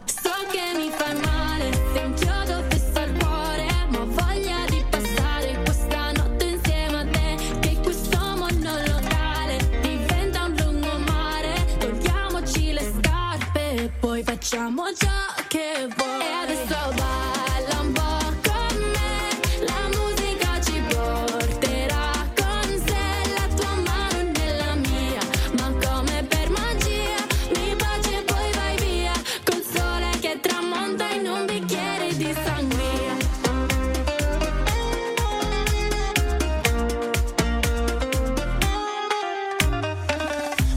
So che mi fai male, sei un chiodo fisso al cuore, ma ho voglia di passare questa notte insieme a te, che questo monolocale diventa un lungomare, togliamoci le scarpe e poi facciamo ciò che vuoi. E adesso balla un po' con me, la musica ci porterà con sé, la tua mano nella mia, ma come per magia mi baci e poi vai via, col sole che tramonta in un bicchiere di sangria.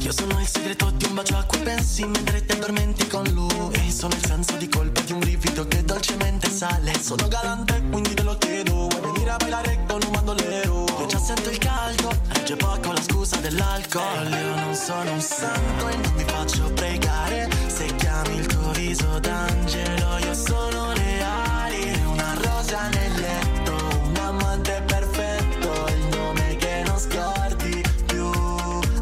Io sono il segreto di un bacio a cui pensi mentre ti addormenti con lui. Sono il senso di colpa di un brivido che dolcemente sale. Sono galante, quindi te lo chiedo. Vuoi venire a bailare con un bandolero? Io già sento il caldo, regge poco la scusa dell'alcol. Io non sono un santo e non mi faccio pregare. Se chiami il tuo viso d'angelo, io sono le ali, una rosa nel letto, un amante perfetto, il nome che non scordi più.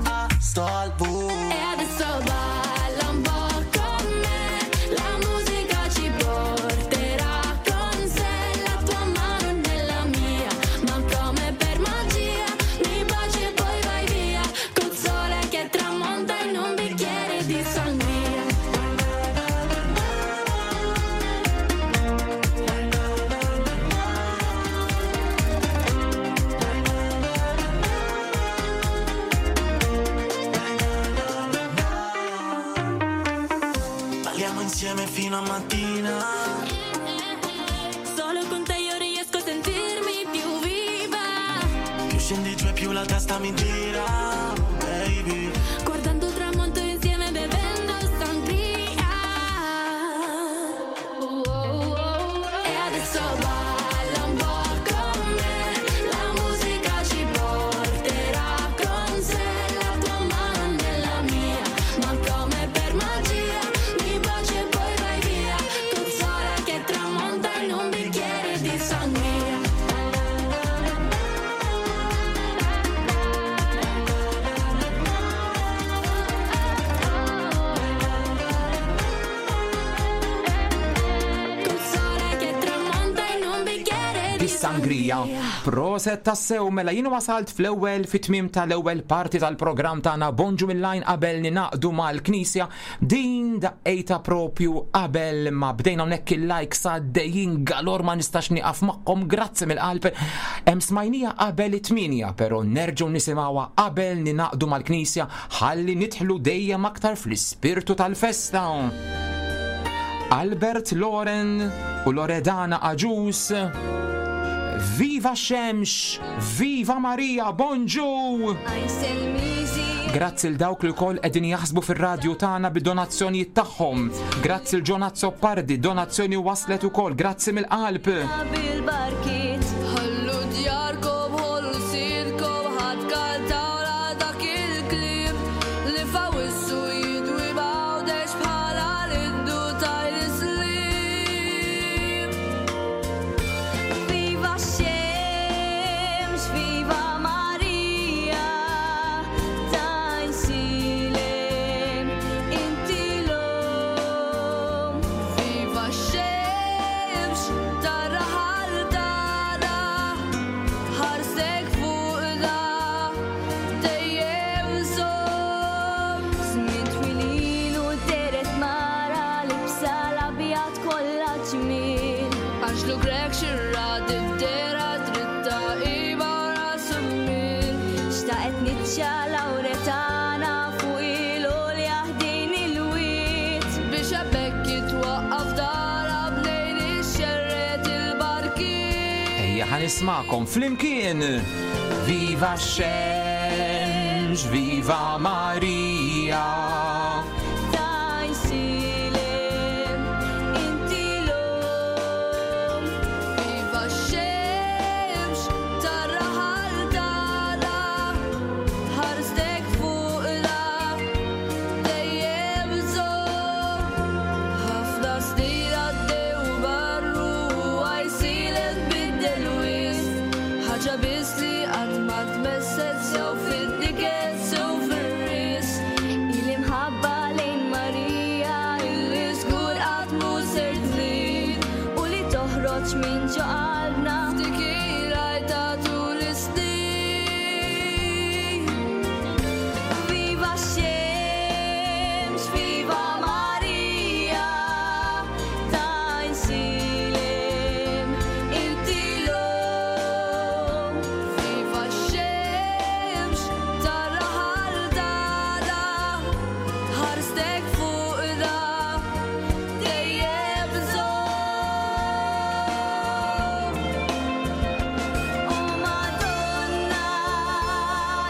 Astolbu. E adesso balla un po' con me, la musica ci porterà con sé, la tua mano nella mia, ma come per magia mi baci e poi vai via, col sole che tramonta in un bicchiere di sangria. Balliamo insieme fino a mattina. Solo con te io riesco a sentirmi più viva, Più scendi giù e più la testa mi gira, baby. guardando il tramonto insieme bevendo sangria. Oh, oh, oh. E adesso balla un po' con me, la musica ci porterà con sé, la tua mano nella mia, ma come per magia mi baci e poi vai via, col sole che tramonta in un bicchiere di sangria. Col sole che tramonta in un bicchiere di sangria. Proset tassew mela jien wasalt fl-ewwel fit-tmiem tal-ewwel parti tal-programm tagħna Bonġu mill-lajn qabel ninaqdu mal-Knisja din daqqejta propju qabel ma bdejna hawnhekk il-likes għaddejjin galor ma nistax nieqaf magħhom grazzi mill-qalb. Hemm smajnija qabel it-tminja però nerġgħu nisimgħuha qabel ninaqdu mal-Knisja ħalli nidħlu dejjem aktar fl-ispirtu tal-festa. Albert Loren u Loredana Aġus. Viva Xemx, Viva Maria, bonġu! Grazzi l dawk li wkoll qegħdin jaħsbu fir-radju tagħna bid-donazzjonijiet tagħhom. Grazzi l Ġonat Soppardi, donazzjoni waslet ukoll, grazzi mill-qalb. Bil-barkiet Ħallu djarkom, ħollu sirkom ħadd kantawla dak il-kliem li fawissu jidwi bawdex bħala l-indu tajl-islim. Viva Xemx, viva Maria, tajsilem, inti l-om. Viva Xemx, tarraħal tara, ħarsek fuqna, dejjem som. Żmien twilin u deret mara libsa l-abjad kollha ġmiel. Għax grek xirra dibdera dritta iba rasu min. Xtaqet nitxa lauretana Ħa nismakom flimkien. Viva x-xemx, viva Marija. Tajsilem, inti l-om. Viva x-xemx, tar-raħal tagħna, ħarstek fuq la dejjem żomm. Ħafna snin għaddew barru għajsilen biddel wisq. Ħaġa biss li qatt ma tmesset sew fid-diket sew fir-risq. Il-imħabba lejn Marija illi żgur qatt mhu ser trid u li toħroġ minn ġo qalbna f'dik il-għajta tul is-snin. Viva x-xemx, viva Marija, tajsilem, inti l-om. Viva x-xemx, tar-raħal tagħna, ħarstek fuq da, dejjem żomm. O Madonna,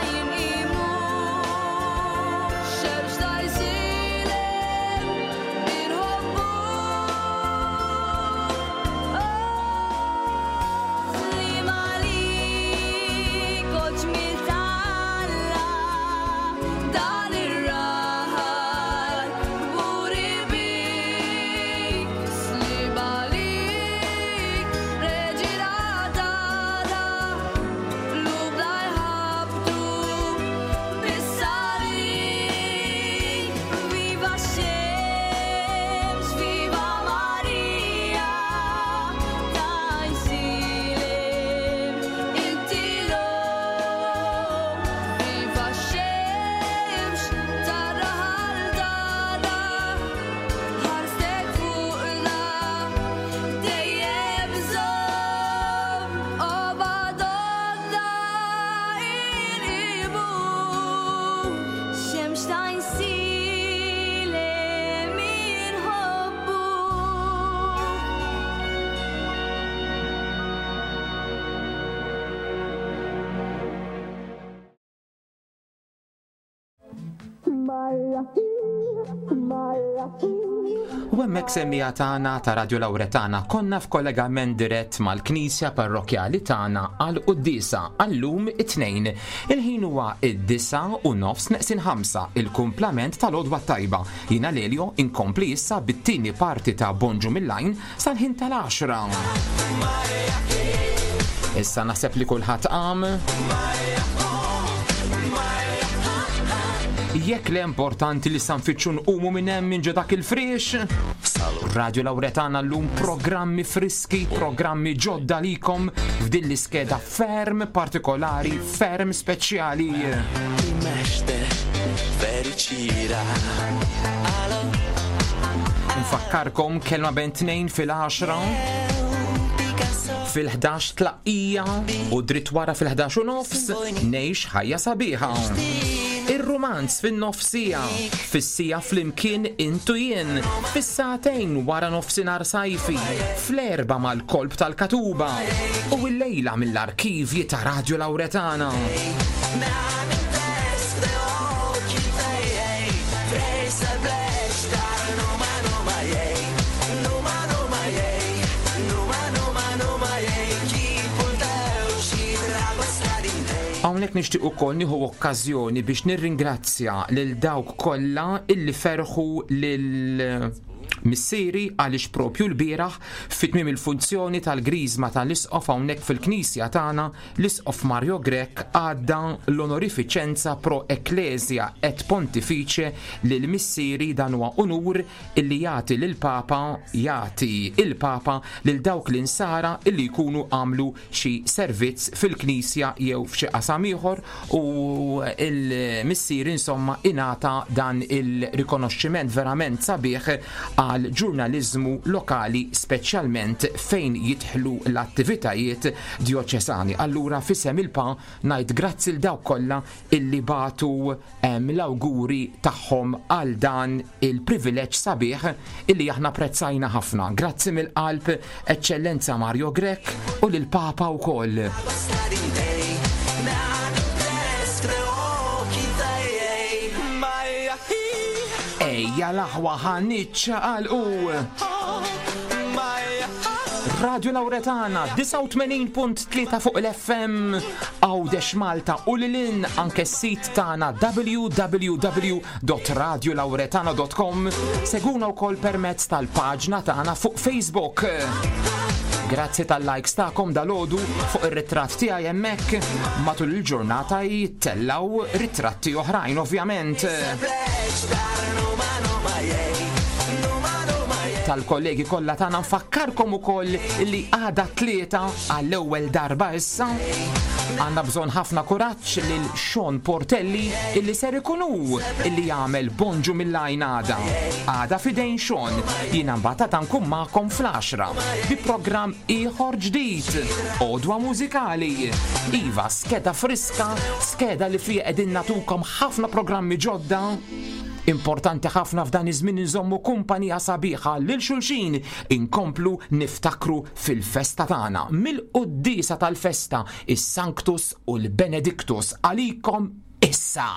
jinqimu, xemx tajsilem, inħobbu. Li malik oġmil talla, dan ir-raħal kburi bik. Slim għalik, reġina tagħna, qlubna jħabbtu bis-salib. Viva x-xemx, viva Marija, tajsilem, inti l-om. Viva x-xemx, tar-raħal tagħna, ħarstek fuqna, dejjem żomm. O Madonna, inqimu, xemx tajsilem inħobbu. U hemmhekk semmija tagħna ta' Radio Lauretana konna f'kollegament dirett mal-Knisja Parrokkjali tagħna għal quddiesa għallum it-tnejn. Il-ħin huwa id-9 u nofs neqsin 5 il-kumplament tal-għodwa tajba. Jiena Lelio inkompli issa bit-tieni parti ta' Bonġu mill-Lajn sal-ħin tal-10. Issa naħseb li kulħadd qam. Jekk le importanti li sa nfittxu nqumu minn hemm minn ġo dak il-friex. Radio Lauretana llum programmi friski, programmi ġodda likom f'din l-iskeda ferm partikolari, ferm speċjali. Fericira. Nfakkarkom kelma bejn 2 fil-10 fil-11 tlaqqija u dritt wara fil-11 u nofs ngħix ħajja sabiħa. Ir-romanz fin-nofsija, fis-sija flimkien intu jien, fis-sagħtejn wara nofsinhar sajfi, fl-4 mal-kolb tal-katuba u l-lejla mill-arkivji ta' Radio Lauretana. Hawnhekk nixtieq ukoll nieħu okkażjoni biex nirringrazzja lil dawk kollha illi ferħu lil missieri għaliex propju l-bieraħ fit-tmiem il-funzjoni tal-griżma tal-isqof hawnhekk fil-knisja tagħna l-isqof Mario Grech għadda l-onorifiċenza pro ecclesia et pontifice lil missieri. Dan huwa unur illi jagħti lil papa jagħti il-papa lil dawk l-insara illi jkunu għamlu xi servizz fil-knisja jew f'xi qasam ieħor u il-missier insomma ingħata dan il-rikonoxximent verament sabiħ għal ġurnaliżmu lokali, speċjalment fejn jidħlu l-attivitajiet djoċesani. Allura f'isem il-pa ngħid grazzi l dawk kollha illi bagħtu l-awguri tagħhom għal dan il-privileġġ sabiħ illi aħna prezzajna ħafna. Grazzi mill-qalb, Eċċellenza Mario Grech. U lill-Papa wkoll. Ejja l-aħwa ħa niċċaqalqu! Radio Lauretana 89.3 fuq l-FM Għawdex Malta u lilin anke s-sit tagħna www.radiolauretana.com Seguna wkoll permezz tal-paġna tagħna fuq Facebook. Grazzi tal-likes tagħkom dalodu fuq ir-ritratt tiegħi hemmhekk matul il-ġurnata jittellaw ritratti oħrajn ovvjament. Tal-kollegi kollha tagħna nfakkarkom ukoll li għada tlieta għall-ewwel darba issa għandna bżonn ħafna kuraġġ lil Sean Portelli illi ser ikun hu illi jagħmel bonġu mill-għajn għada. Għada fidejn Sean, jiena mbagħad għada nkun magħkom fl-għaxra bi programm ieħor ġdid, Għodwa Mużikali. Iva, skeda friska, skeda li fiha qegħdin nagħtukom ħafna programmi ġodda. Importanti ħafna f'dan iż-żmien inżommu kumpanija sabiħa lil xulxin, inkomplu niftakru fil-festa tagħna. Mill-quddiesa tal-festa, is-Sanctus u l-Benedictus għalikom issa!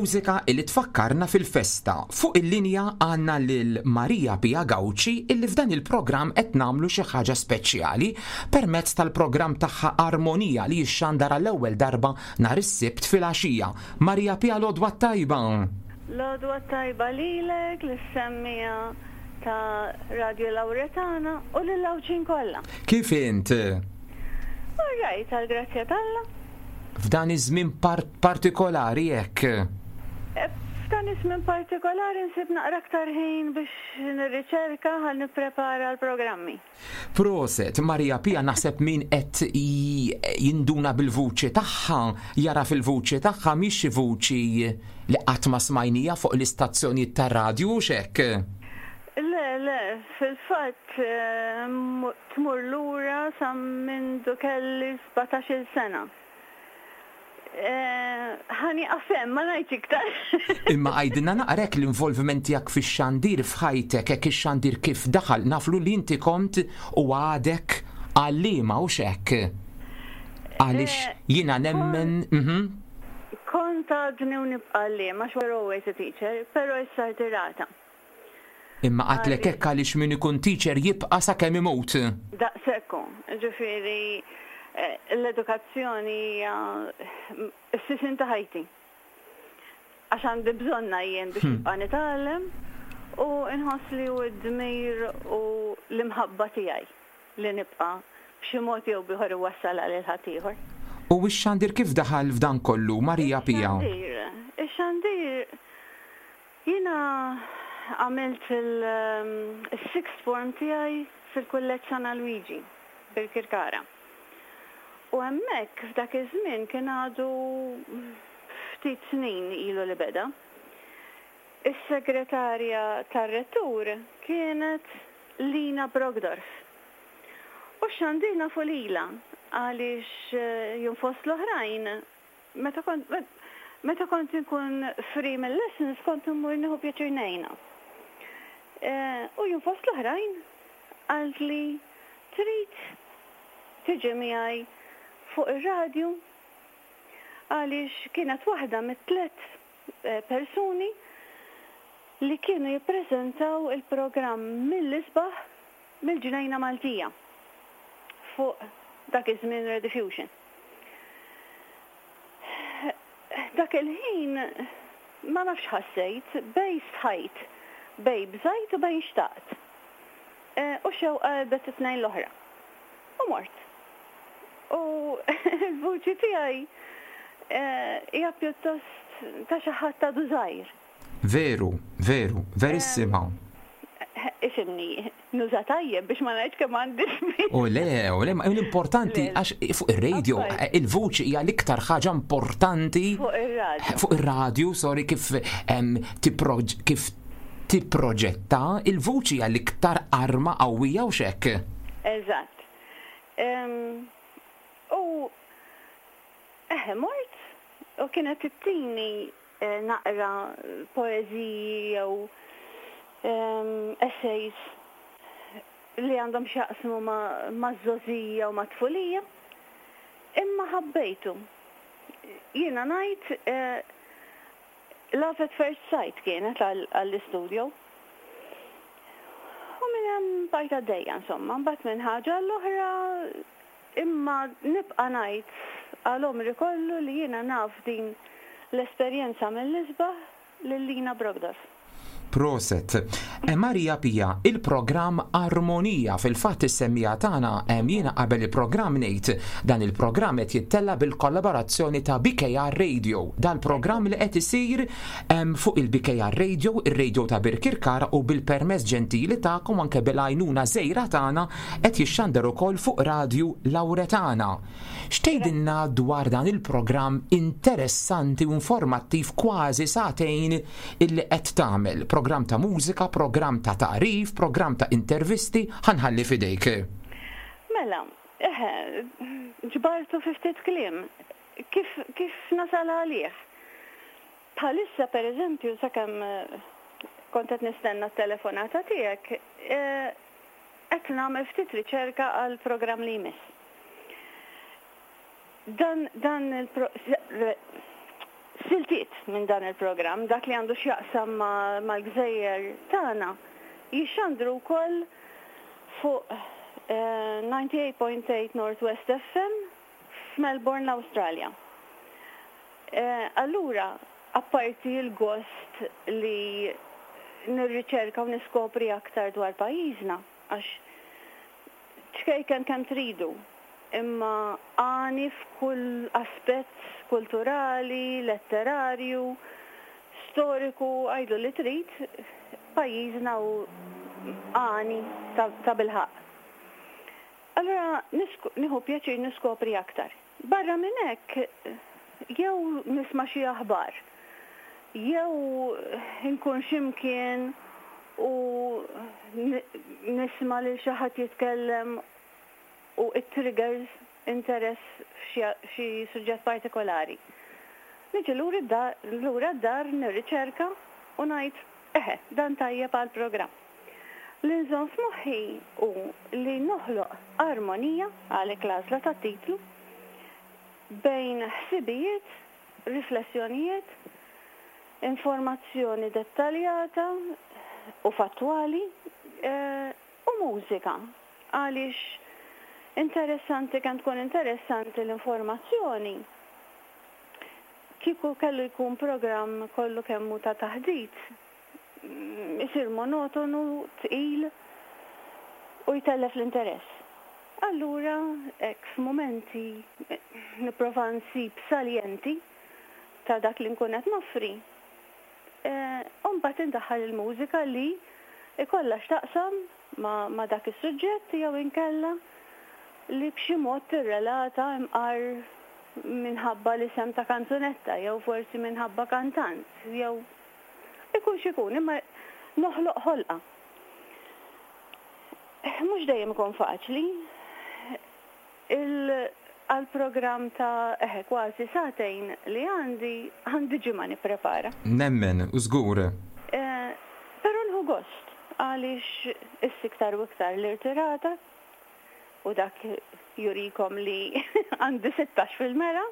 Mużika illi tfakkarna fil-festa. Fuq il-linja għandna lil Maria Pia Gauci illi f'dan il-programm qed nagħmlu xi ħaġa speċjali permezz tal-programm tagħha Armonija li jixxandar għall-ewwel darba nhar is-Sibt filgħaxija. Maria Pia l-għodwa t-tajba! L-għodwa t-tajba lilek, lis-semmiegħa ta' Radio Lauretana u lill-Għawdxin kollha. Kif int? All right. All right, għall-grazzja t'Alla. F'dan iż-żmien partikolari hekk. F'dan iż-żmien partikolari nsib naqra aktar ħin biex nirriċerka ħalli nipprepara l-programmi. Proset, Maria Pia naħseb min qed jinduna bil-vuċi tagħha, jara fil-vuċi tagħha mhix xi vuċi li qatt ma smajnija fuq l-istazzjonijiet tar-radju hux hekk? Le, le, fil-fatt tmur lura sa mindu kelli 17-il sena. Ħa nieqaf hemm, ma ngħidx iktar. Imma għidilna naqra hekk l-involviment tiegħek fix-xandir f'ħajtek, hekk ix-xandir kif daħal, naflu li inti kont u għadek għalliema hux hekk? Għaliex jiena nemmen, mhm. Kont għadni u nibqa' għalliema għax we're always a teacher, però issa rtirata. Imma għadtlek hekk għaliex min ikun teacher jibqa' sakemm imut. Daqshekk hu. Ġifieri l-edukazzjoni hija s-sisien ta' ħajti. Għax għandi bżonnha jien biex nibqa' nitgħallem u nħoss li hu d-dmir u l-imħabba tiegħi li nibqa' b'xi mod jew b'ieħor iwassalha lil ħaddieħor. U x-xandir kif daħal f'dan kollu, Maria Pia? Ix-xandir, ix-xandir Jiena għamilt il-sixth form tiegħi fil-Kulleġġ San Alwiġi, Birkirkara. U hemmhekk f'dak iż-żmien kien għadu ftit snin ilu li beda. Is-segretarja tar-rettur kienet Lina Brockdorff. U x-xandir nafu lilha għaliex jien fost l-oħrajn Meta kont meta kont inkun free mill-lessons kont immur nieħu pjaċir ngħinha. U jien fost l-oħrajn qaltli trid tiġi miegħi fuq ir-radju għaliex kienet waħda mit-tlett persuni li kienu jippreżentaw il-programm mill-isbaħ mill-Ġnejna Maltija fuq dak iż-żmien Rediffusion. Dak il-ħin ma nafx x'ħassejt, bejn stħajt, bejn bżajt u bejn xtaqt. U x-xewqa għelbet it-tnejn l-oħra. U mort. U l-vuċi tiegħi hija pjuttost ta' xi ħadd għadu żgħir. Veru, veru, verissima. Ifhimni, nuża tajjeb biex ma ngħidx kemm għandi żmien. U le, u le, l-importanti għax fuq ir-radio il-vuċi hija l-iktar ħaġa importanti. Fuq ir-radio. Fuq ir-radio, sorry, kif kif tipproġetta il-vuċi hija l-iktar arma qawwija u xekk. Eżatt. U eħe mort u kienet ittini naqra poeżiji jew essays li għandhom x'jaqsmu maż-żgħożija u mat-tfulija, imma ħabbejtu. Jiena ngħid love at first sight kienet għall-istudio. U minn hemm bqajt għaddejja insomma, mbagħad minn ħaġa għall-oħra Imma nibqa' ngħid għal għomri kollu li jiena naf din l-esperjenza mill-isbaħ lil Lina Brockdorff. Proset. Maria Pia, il-programm Armonija, fil-fatt is-semmiegħa tagħna jiena qabel il-programm ngħid dan il-programm qed jittella' bil-kollaborazzjoni ta' BKR Radio. Dal-programm li qed isir fuq il-BKR Radio, ir-radio ta' Birkirkara u bil-permess ġentili tagħkom anke bil-għajnuna żgħira tagħna Qed jixxandar ukoll fuq Radju Lauretana. X'tgħidilna dwar dan il-programm interessanti u informattiv kważi sagħtejn illi qed tagħmel? Programm ta' mużika, programm ta' tagħrif, programm ta' intervisti, ħa nħalli f'idejk. Mela, eħe, ġbartu fi ftit kliem. Kif, kif nasal għalih? Bħalissa, per eżempju, sakemm kont qed nistenna t-telefonata tiegħek, Qed nagħmel ftit riċerka għall-programm li jmiss. Dan dan il siltiet minn dan il-programm, dak li għandu x'jaqsam mal-gżejjer tagħna, jixxandru wkoll fuq 98.8 North West FM f'Melbourne l-Awstralja. Allura, apparti l-gost li nirriċerka u niskopri aktar dwar pajjiżna, għax ċkejken kemm tridu. imma għani f'kull aspett kulturali, letterarju, storiku, għidlu li trid, pajjiżna hu għani tabilħaqq. Allura nieħu pjaċir niskopri aktar. Barra minn hekk, jew nisma' xi aħbar, jew inkun xi mkien u nisma' lil xi ħadd jitkellem u it triggers interess f'xi suġġett partikolari. Niġi lura d-dar nirriċerka u ngħid, eħe, dan tajjeb għall-programm. Li nżomm f'moħħi hu li noħloq armonija, għalhekk l-għażla tat-titlu, bejn ħsibijiet, riflessjonijiet, informazzjoni dettaljata u fattwali u mużika għaliex interessanti kemm tkun interessanti l-informazzjoni kieku kellu jkun programm kollu kemm hu ta' taħdit isir monotonu, tqil u jtellef l-interess. Allura hekk f'mumenti nipprova nsib saljenti ta' dak li nkun qed noffri u mbagħad indaħħal il-mużika li jkollha x'taqsam ma' dak is-suġġett jew inkella li b'xi mod tirrelata imqar minħabba l-isem ta' kanzunetta jew forsi minħabba kantant jew ikun x'ikun imma noħloq ħolqa. Mhux dejjem ikun faċli. Il għall-programm ta' eħe kważi sagħtejn li għandi, għandi ġimgħa nipprepara. Nemmen, u żgur. Però nieħu gost għaliex issa iktar u iktar l-irtirata u dak jurikom li għandi 16 fil-mera.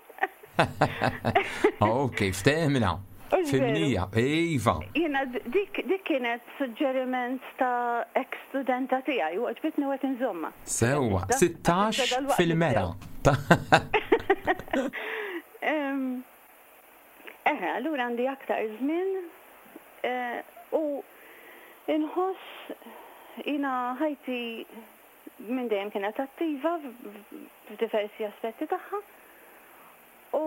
Ok, ftehmna. Fimnija, iva. Jiena dik dik kienet suġġeriment ta' ex studenta tiegħi u għoġbitni u qed inżommha. Sewwa, 16 fil-mera. Eħe, allura għandi aktar żmien u inħoss jiena ħajti minn dejjem kienet attiva f'diversi aspetti tagħha u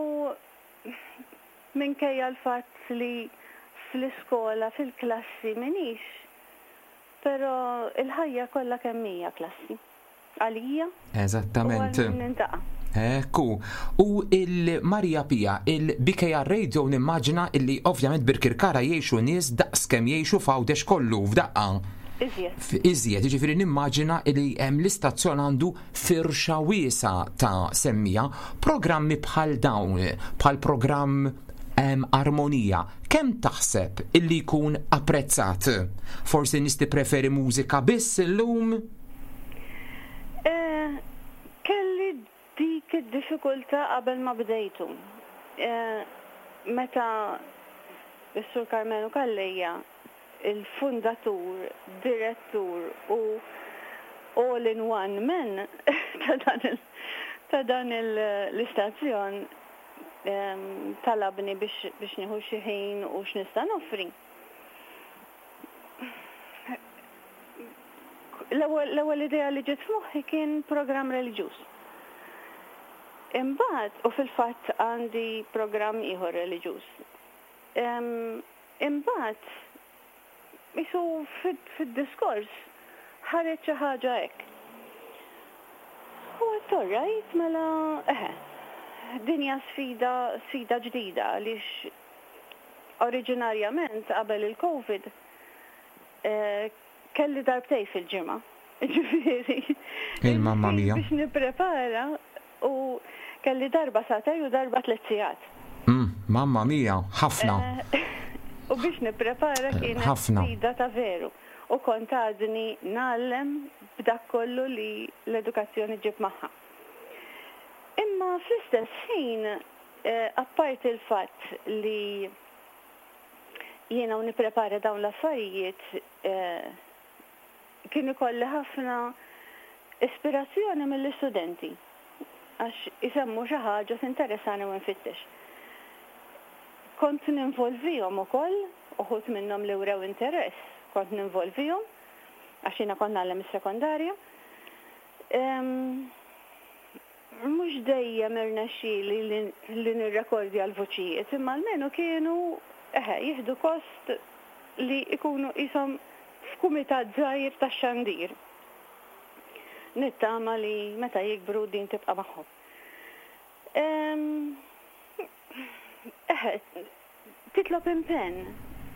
minkejja l-fatt li fl-iskola, fil-klassi m'iniex, però l-ħajja kollha kemm hija klassi. Għalija u Eżattament. għal min nintaqa'. Ekku. U il-Maria Pia, il-BKR Radio nimmaġina illi ovvjament Birkirkara jgħixu nies daqs kemm jgħixu f'Għawdex kollu f'daqqa. Iżjed. Iżjed, jiġifieri nimmaġina li hemm l-istazzjon għandu firxa wiesgħa ta' semmiegħa. Programmi bħal dawn, bħal programm Armonija, kemm taħseb illi jkun apprezzat? Forsi nies tippreferi mużika biss illum? Kelli dik id-diffikultà qabel ma bdejtu. Meta s-Sur Karmenu Calleja il-fundatur, direttur u all in one man ta' dan l-istazzjon talabni biex nieħu xi ħin u x'nista' noffri. L-ewwel idea li ġiet f'moħħi kien programm reliġjuż. Imbagħad, u fil-fatt għandi programm ieħor reliġjuż. Imbagħad qisu fid-diskors ħareġ xi ħaġa hekk. U għedt all right, mela eħe, din hija sfida sfida ġdida għaliex oriġinarjament qabel il-Covid kelli darbtejn fil-ġimgħa. Ġifieri. Il-mamma mia. Biex nipprepara U kelli darba sagħtej u darba tlett sigħat. Mm, mamma mia, ħafna. U biex nipprepara kienet sfida ta' veru. U kont għadni ngħallem b'dak kollu li l-edukazzjoni ġġib magħha. Imma fl-istess ħin, apparti l-fatt li jiena u nipprepara dawn l-affarijiet, Kien ikolli ħafna ispirazzjoni mill-istudenti għax isemmu xi ħaġa tinteressani u nfittex. Kont ninvolvihom ukoll, uħud minnhom li wrew interess, kont ninvolvihom għax jiena kont ngħallem is-sekondarja. Mhux dejjem irnexxieli li nirrekordja l-vuċijiet, imma almenu kienu, eħe, jieħdu kost li jkunu qishom f'kumitat żgħir tax-xandir. Nittama li meta jikbru din tibqa' magħhom. Eħe, titlob impenn,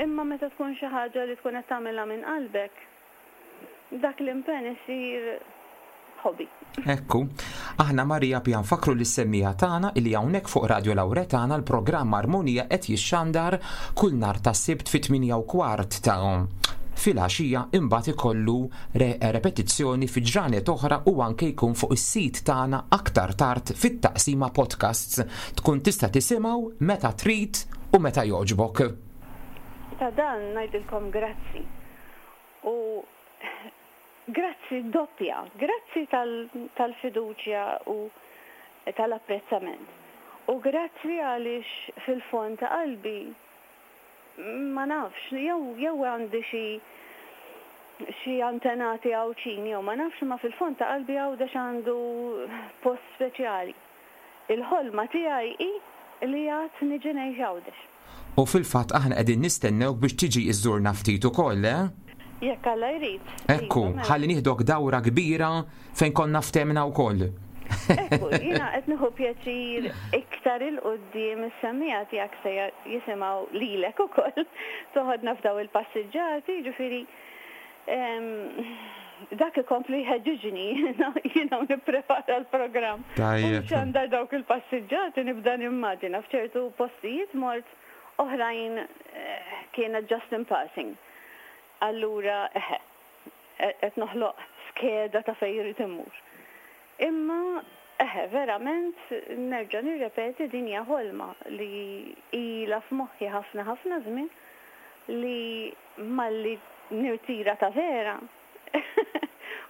imma meta tkun xi ħaġa li tkun qed tagħmilha minn qalbek, dak l-impenn isir hobby. Ekku, aħna Maria Pia nfakkru lis-semmiegħa tagħna illi hawnhekk fuq Radio Lauretana l-programm Armonija qed jixxandar kull nhar ta' Sibt fit-8:15 ta' filgħaxija imbagħad ikollu repetizzjoni fi ġranet oħra u anke jkun fuq is-sit tagħna aktar tard fit-taqsima podcasts. Tkun tista' tisimgħu meta trid u meta jogħġbok. Ta' dan ngħidilkom grazzi. U grazzi doppja, grazzi tal-fiduċja u tal-apprezzament. U grazzi għaliex fil-fond ta' qalbi ma nafx, jew jew għandi xi xi antenati Għawdxin jew ma nafx imma fil-fond ta' qalbi Għawdex għandu post speċjali. Il-ħolma tiegħi hi li għad niġi ngħix Għawdex. U fil-fatt aħna qegħdin nistennewk biex tiġi iżżurna ftit ukoll, eh? Jekk Alla jrid. Ekku, Iva, mela. ħalli nieħdok dawra kbira fejn konna ftehmna wkoll. Ekku, jiena qed nieħu pjaċir iktar 'il quddiem is-semmiegħa tiegħek se jisimgħu lilek ukoll toħodna f'daw il-passiġġati, jiġifieri dak ikompli jħeġġiġni jiena u nipprepara l-programm. Tajjeb. U nxandar dawk il-passiġġati nibda nimmaġina f'ċertu postijiet mort oħrajn kienet just in passing. Allura eħe, qed noħloq skeda ta' fejn irrid immur. Imma eħe, verament nerġa' nirrepeti din hija ħolma li ilha f'moħħi ħafna ħafna żmien li malli nirtira ta' vera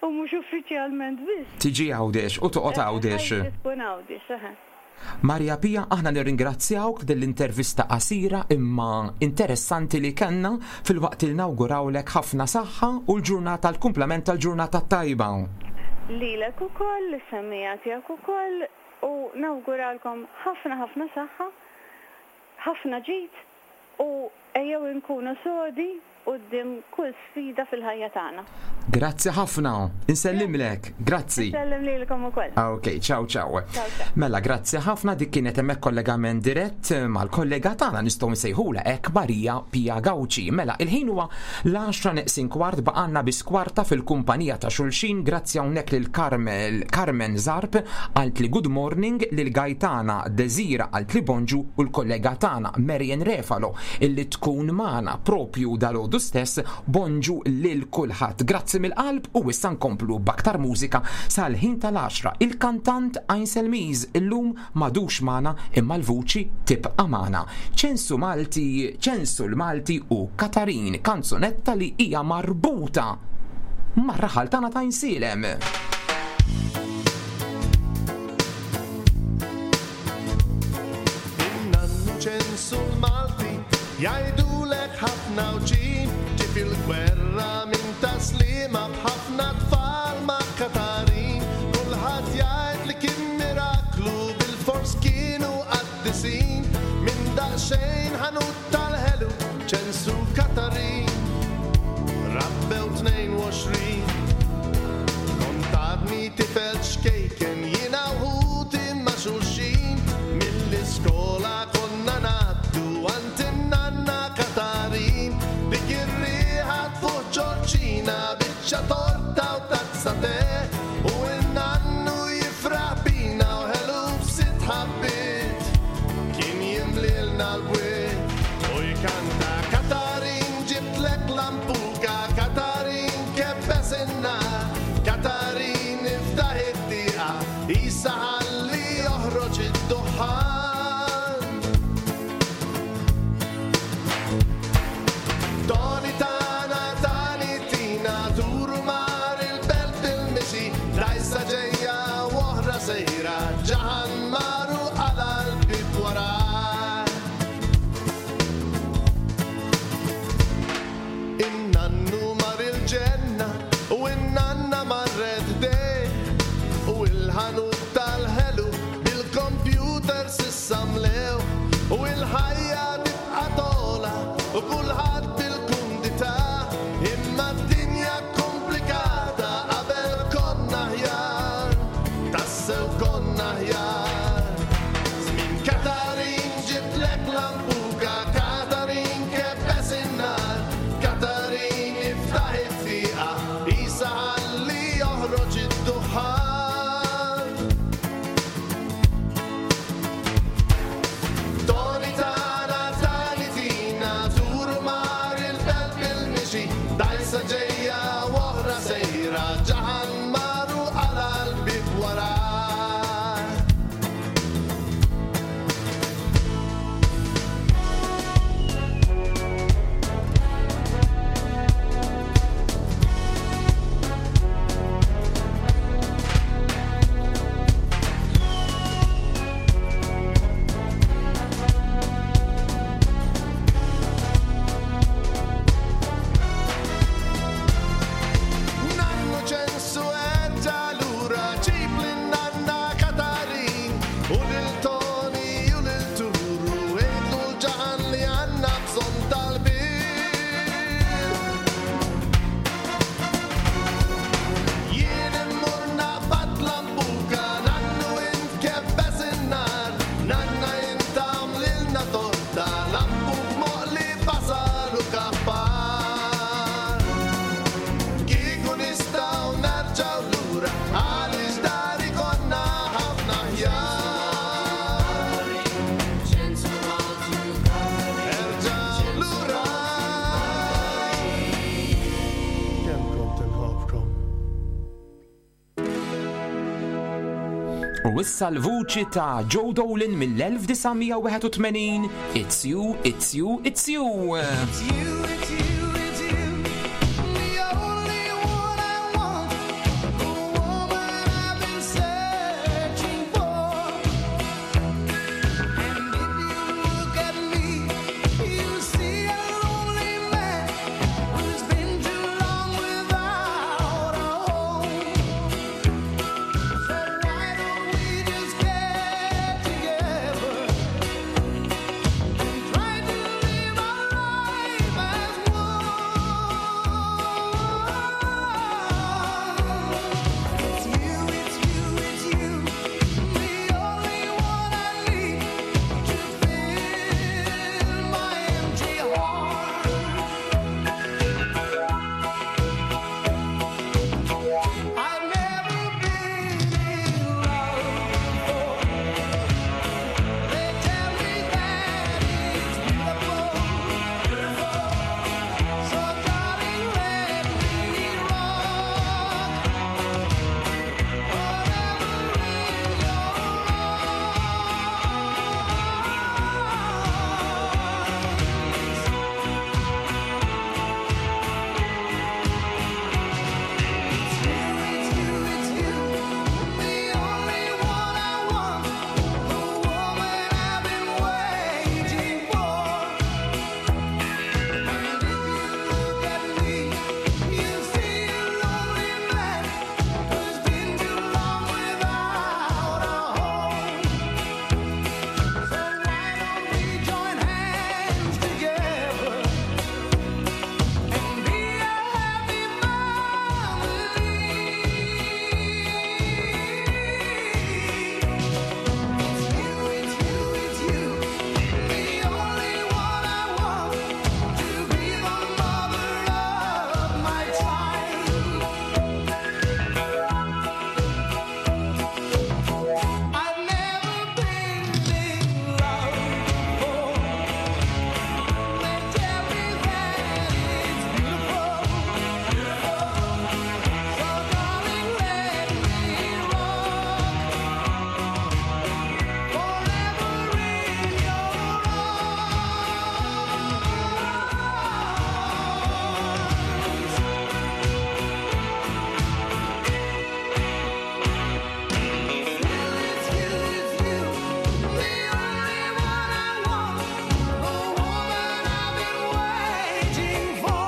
u mhux uffiċjalment biss. Tiġi Għawdex u toqgħod Għawdex. Ħajti tkun Għawdex, eħe. Maria Pia, aħna nirringrazzjawk din l-intervista qasira imma interessanti li kellna filwaqt li nawgurawlek ħafna saħħa u l-ġurnata l-kumplament tal-ġurnata t-tajba. Lilek ukoll, lis-semmiegħa tiegħek ukoll u nawguralkom ħafna ħafna saħħa, ħafna ġid U ejjew inkunu sodi quddiem kull sfida fil-ħajja tagħna. Grazzi ħafna. Insellimlek. Grazzi. Insellem lilkom ukoll. Ok, ciao ciao. Ciao ciao. Mela, grazzi ħafna dik kienet hemmhekk kollegament dirett mal-kollega tagħna nistgħu nsejħulha hekk Maria Pia Gauci. Mela, il-ħin huwa l-10 neqsin kwart baqgħalna biss kwarta fil-kumpanija ta' xulxin grazzi hawnhekk lil Carmel Carmen Zarb qaltli good morning lil Gaetana Desira qaltli bonġu u l-kollega tagħna Marian Refalo illi tkun magħna propju dalgħodu stess bonġu lil kulħadd. Grazzi mill-qalb u issa nkomplu b'aktar mużika sal-ħin tal-għaxra. Il-kantant Ainsel Mies illum m'għadux magħna imma l-vuċi tibqa' magħna. Ċensu Malti, Ċensu l-Malti u Katarin, kanzunetta li hija marbuta mar-raħal tagħna ta' Għajnsielem. In-nannu Ċensu l-Malti jgħidulek ħafna wġin ġie fil-gwerra minn Taslima b'ħafna tfal ma' Katarin kulħadd jgħid li kien miraklu bilfors kienu qaddisin minn daqsxejn ħanut tal-ħelu Ċensu Katarin rabbew 22 Kont għadni tifel ċkejken jiena u ħuti ma' xulxin Mill-iskola konna ngħaddu għand in-nanna Katarin Dik ir-riħa tfuħ ġorġina biċċa torta u tazza te U n-nannu jifraħ bina u ħelu b'sitt ħabbiet Kien jimlilna l-bwiet u jkanta Katarin ġibtlek lampuka Katarin kebbes in-nar Katarin iftaħ it-tieqa Isa ħalli joħroġ id-duħħan Toni tana tani tina turu mar il-belt bil-mixi Dajsa ġejja u oħra sejra Ġaħan maru għala l-bib wara. lil Tony u lil Turu, għidlu l-ġaħan li għandna bżonn tal-bir. Jien immur naqbad lambuka, nannu int kebbes in-nar, nanna int għamlilna torta, lambuk moqli basal u kappar. Kieku nistgħu nerġgħu lura, għaliex dari konna ħafna aħjar. Erġgħu lura. Kemm kont inħobbkom. U issa l-vuċi ta' Joe Dolan mill-1981 It's You, It's You, It's You. It's you, it's you, it's you, the only one I want, the woman I've been searching for. And if you look at me, you see a lonely man who's been too long without a home. So why don't we just get together and try to live our life as one? It's you, it's you, it's you, the only one I need to fill my empty heart. I've never been in love before. They tell me that it's beautiful, beautiful. So darling, let me rock forever in your arms. It's you, it's you, it's you, the only one I want, the woman I've been waiting for. And if you look at me, you see a lonely man who's been too long without a home. So why don't we join hands together and be a happy family? It's you, it's you, it's you, the only one I want to be the mother of my child. I've never been in love before. They tell me that it's beautiful, beautiful. So darling, let me rock forever in your arms. It's you, it's you, the only one I want, the woman I've been waiting for.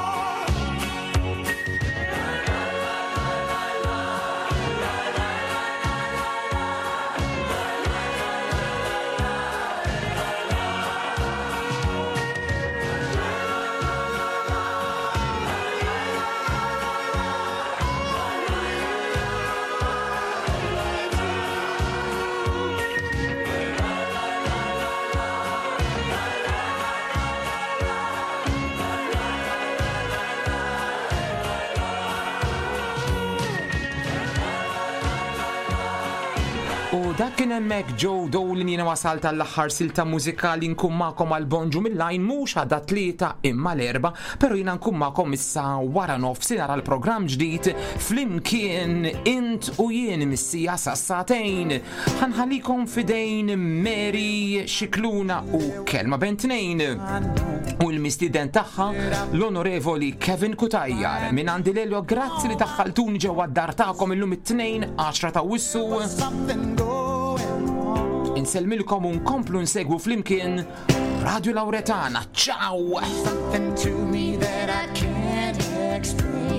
U dak kien hemmhekk Joe Dolan jiena wasalt għall-aħħar silta mużikali nkun magħkom għal bonġu mill-lajn mhux għadha tlieta imma l-erba, però jiena nkun magħkom issa wara nofsinhar għal programm ġdid flimkien int u jien missija sassatejn. Ħanħallikom fidejn Mary Xikluna u Kelma Bentnejn. U l-mistieden tagħha l-Onorevoli Kevin Kutajjar. Minn għandi Lelio, grazzi li daħħaltuni ġewwa d-dar tagħkom illum it-tnejn 10 ta' Wissu. Insellmilkom u nkomplu nsegwu flimkien Radio Lauretana. Ciao! Something to me that I can't explain.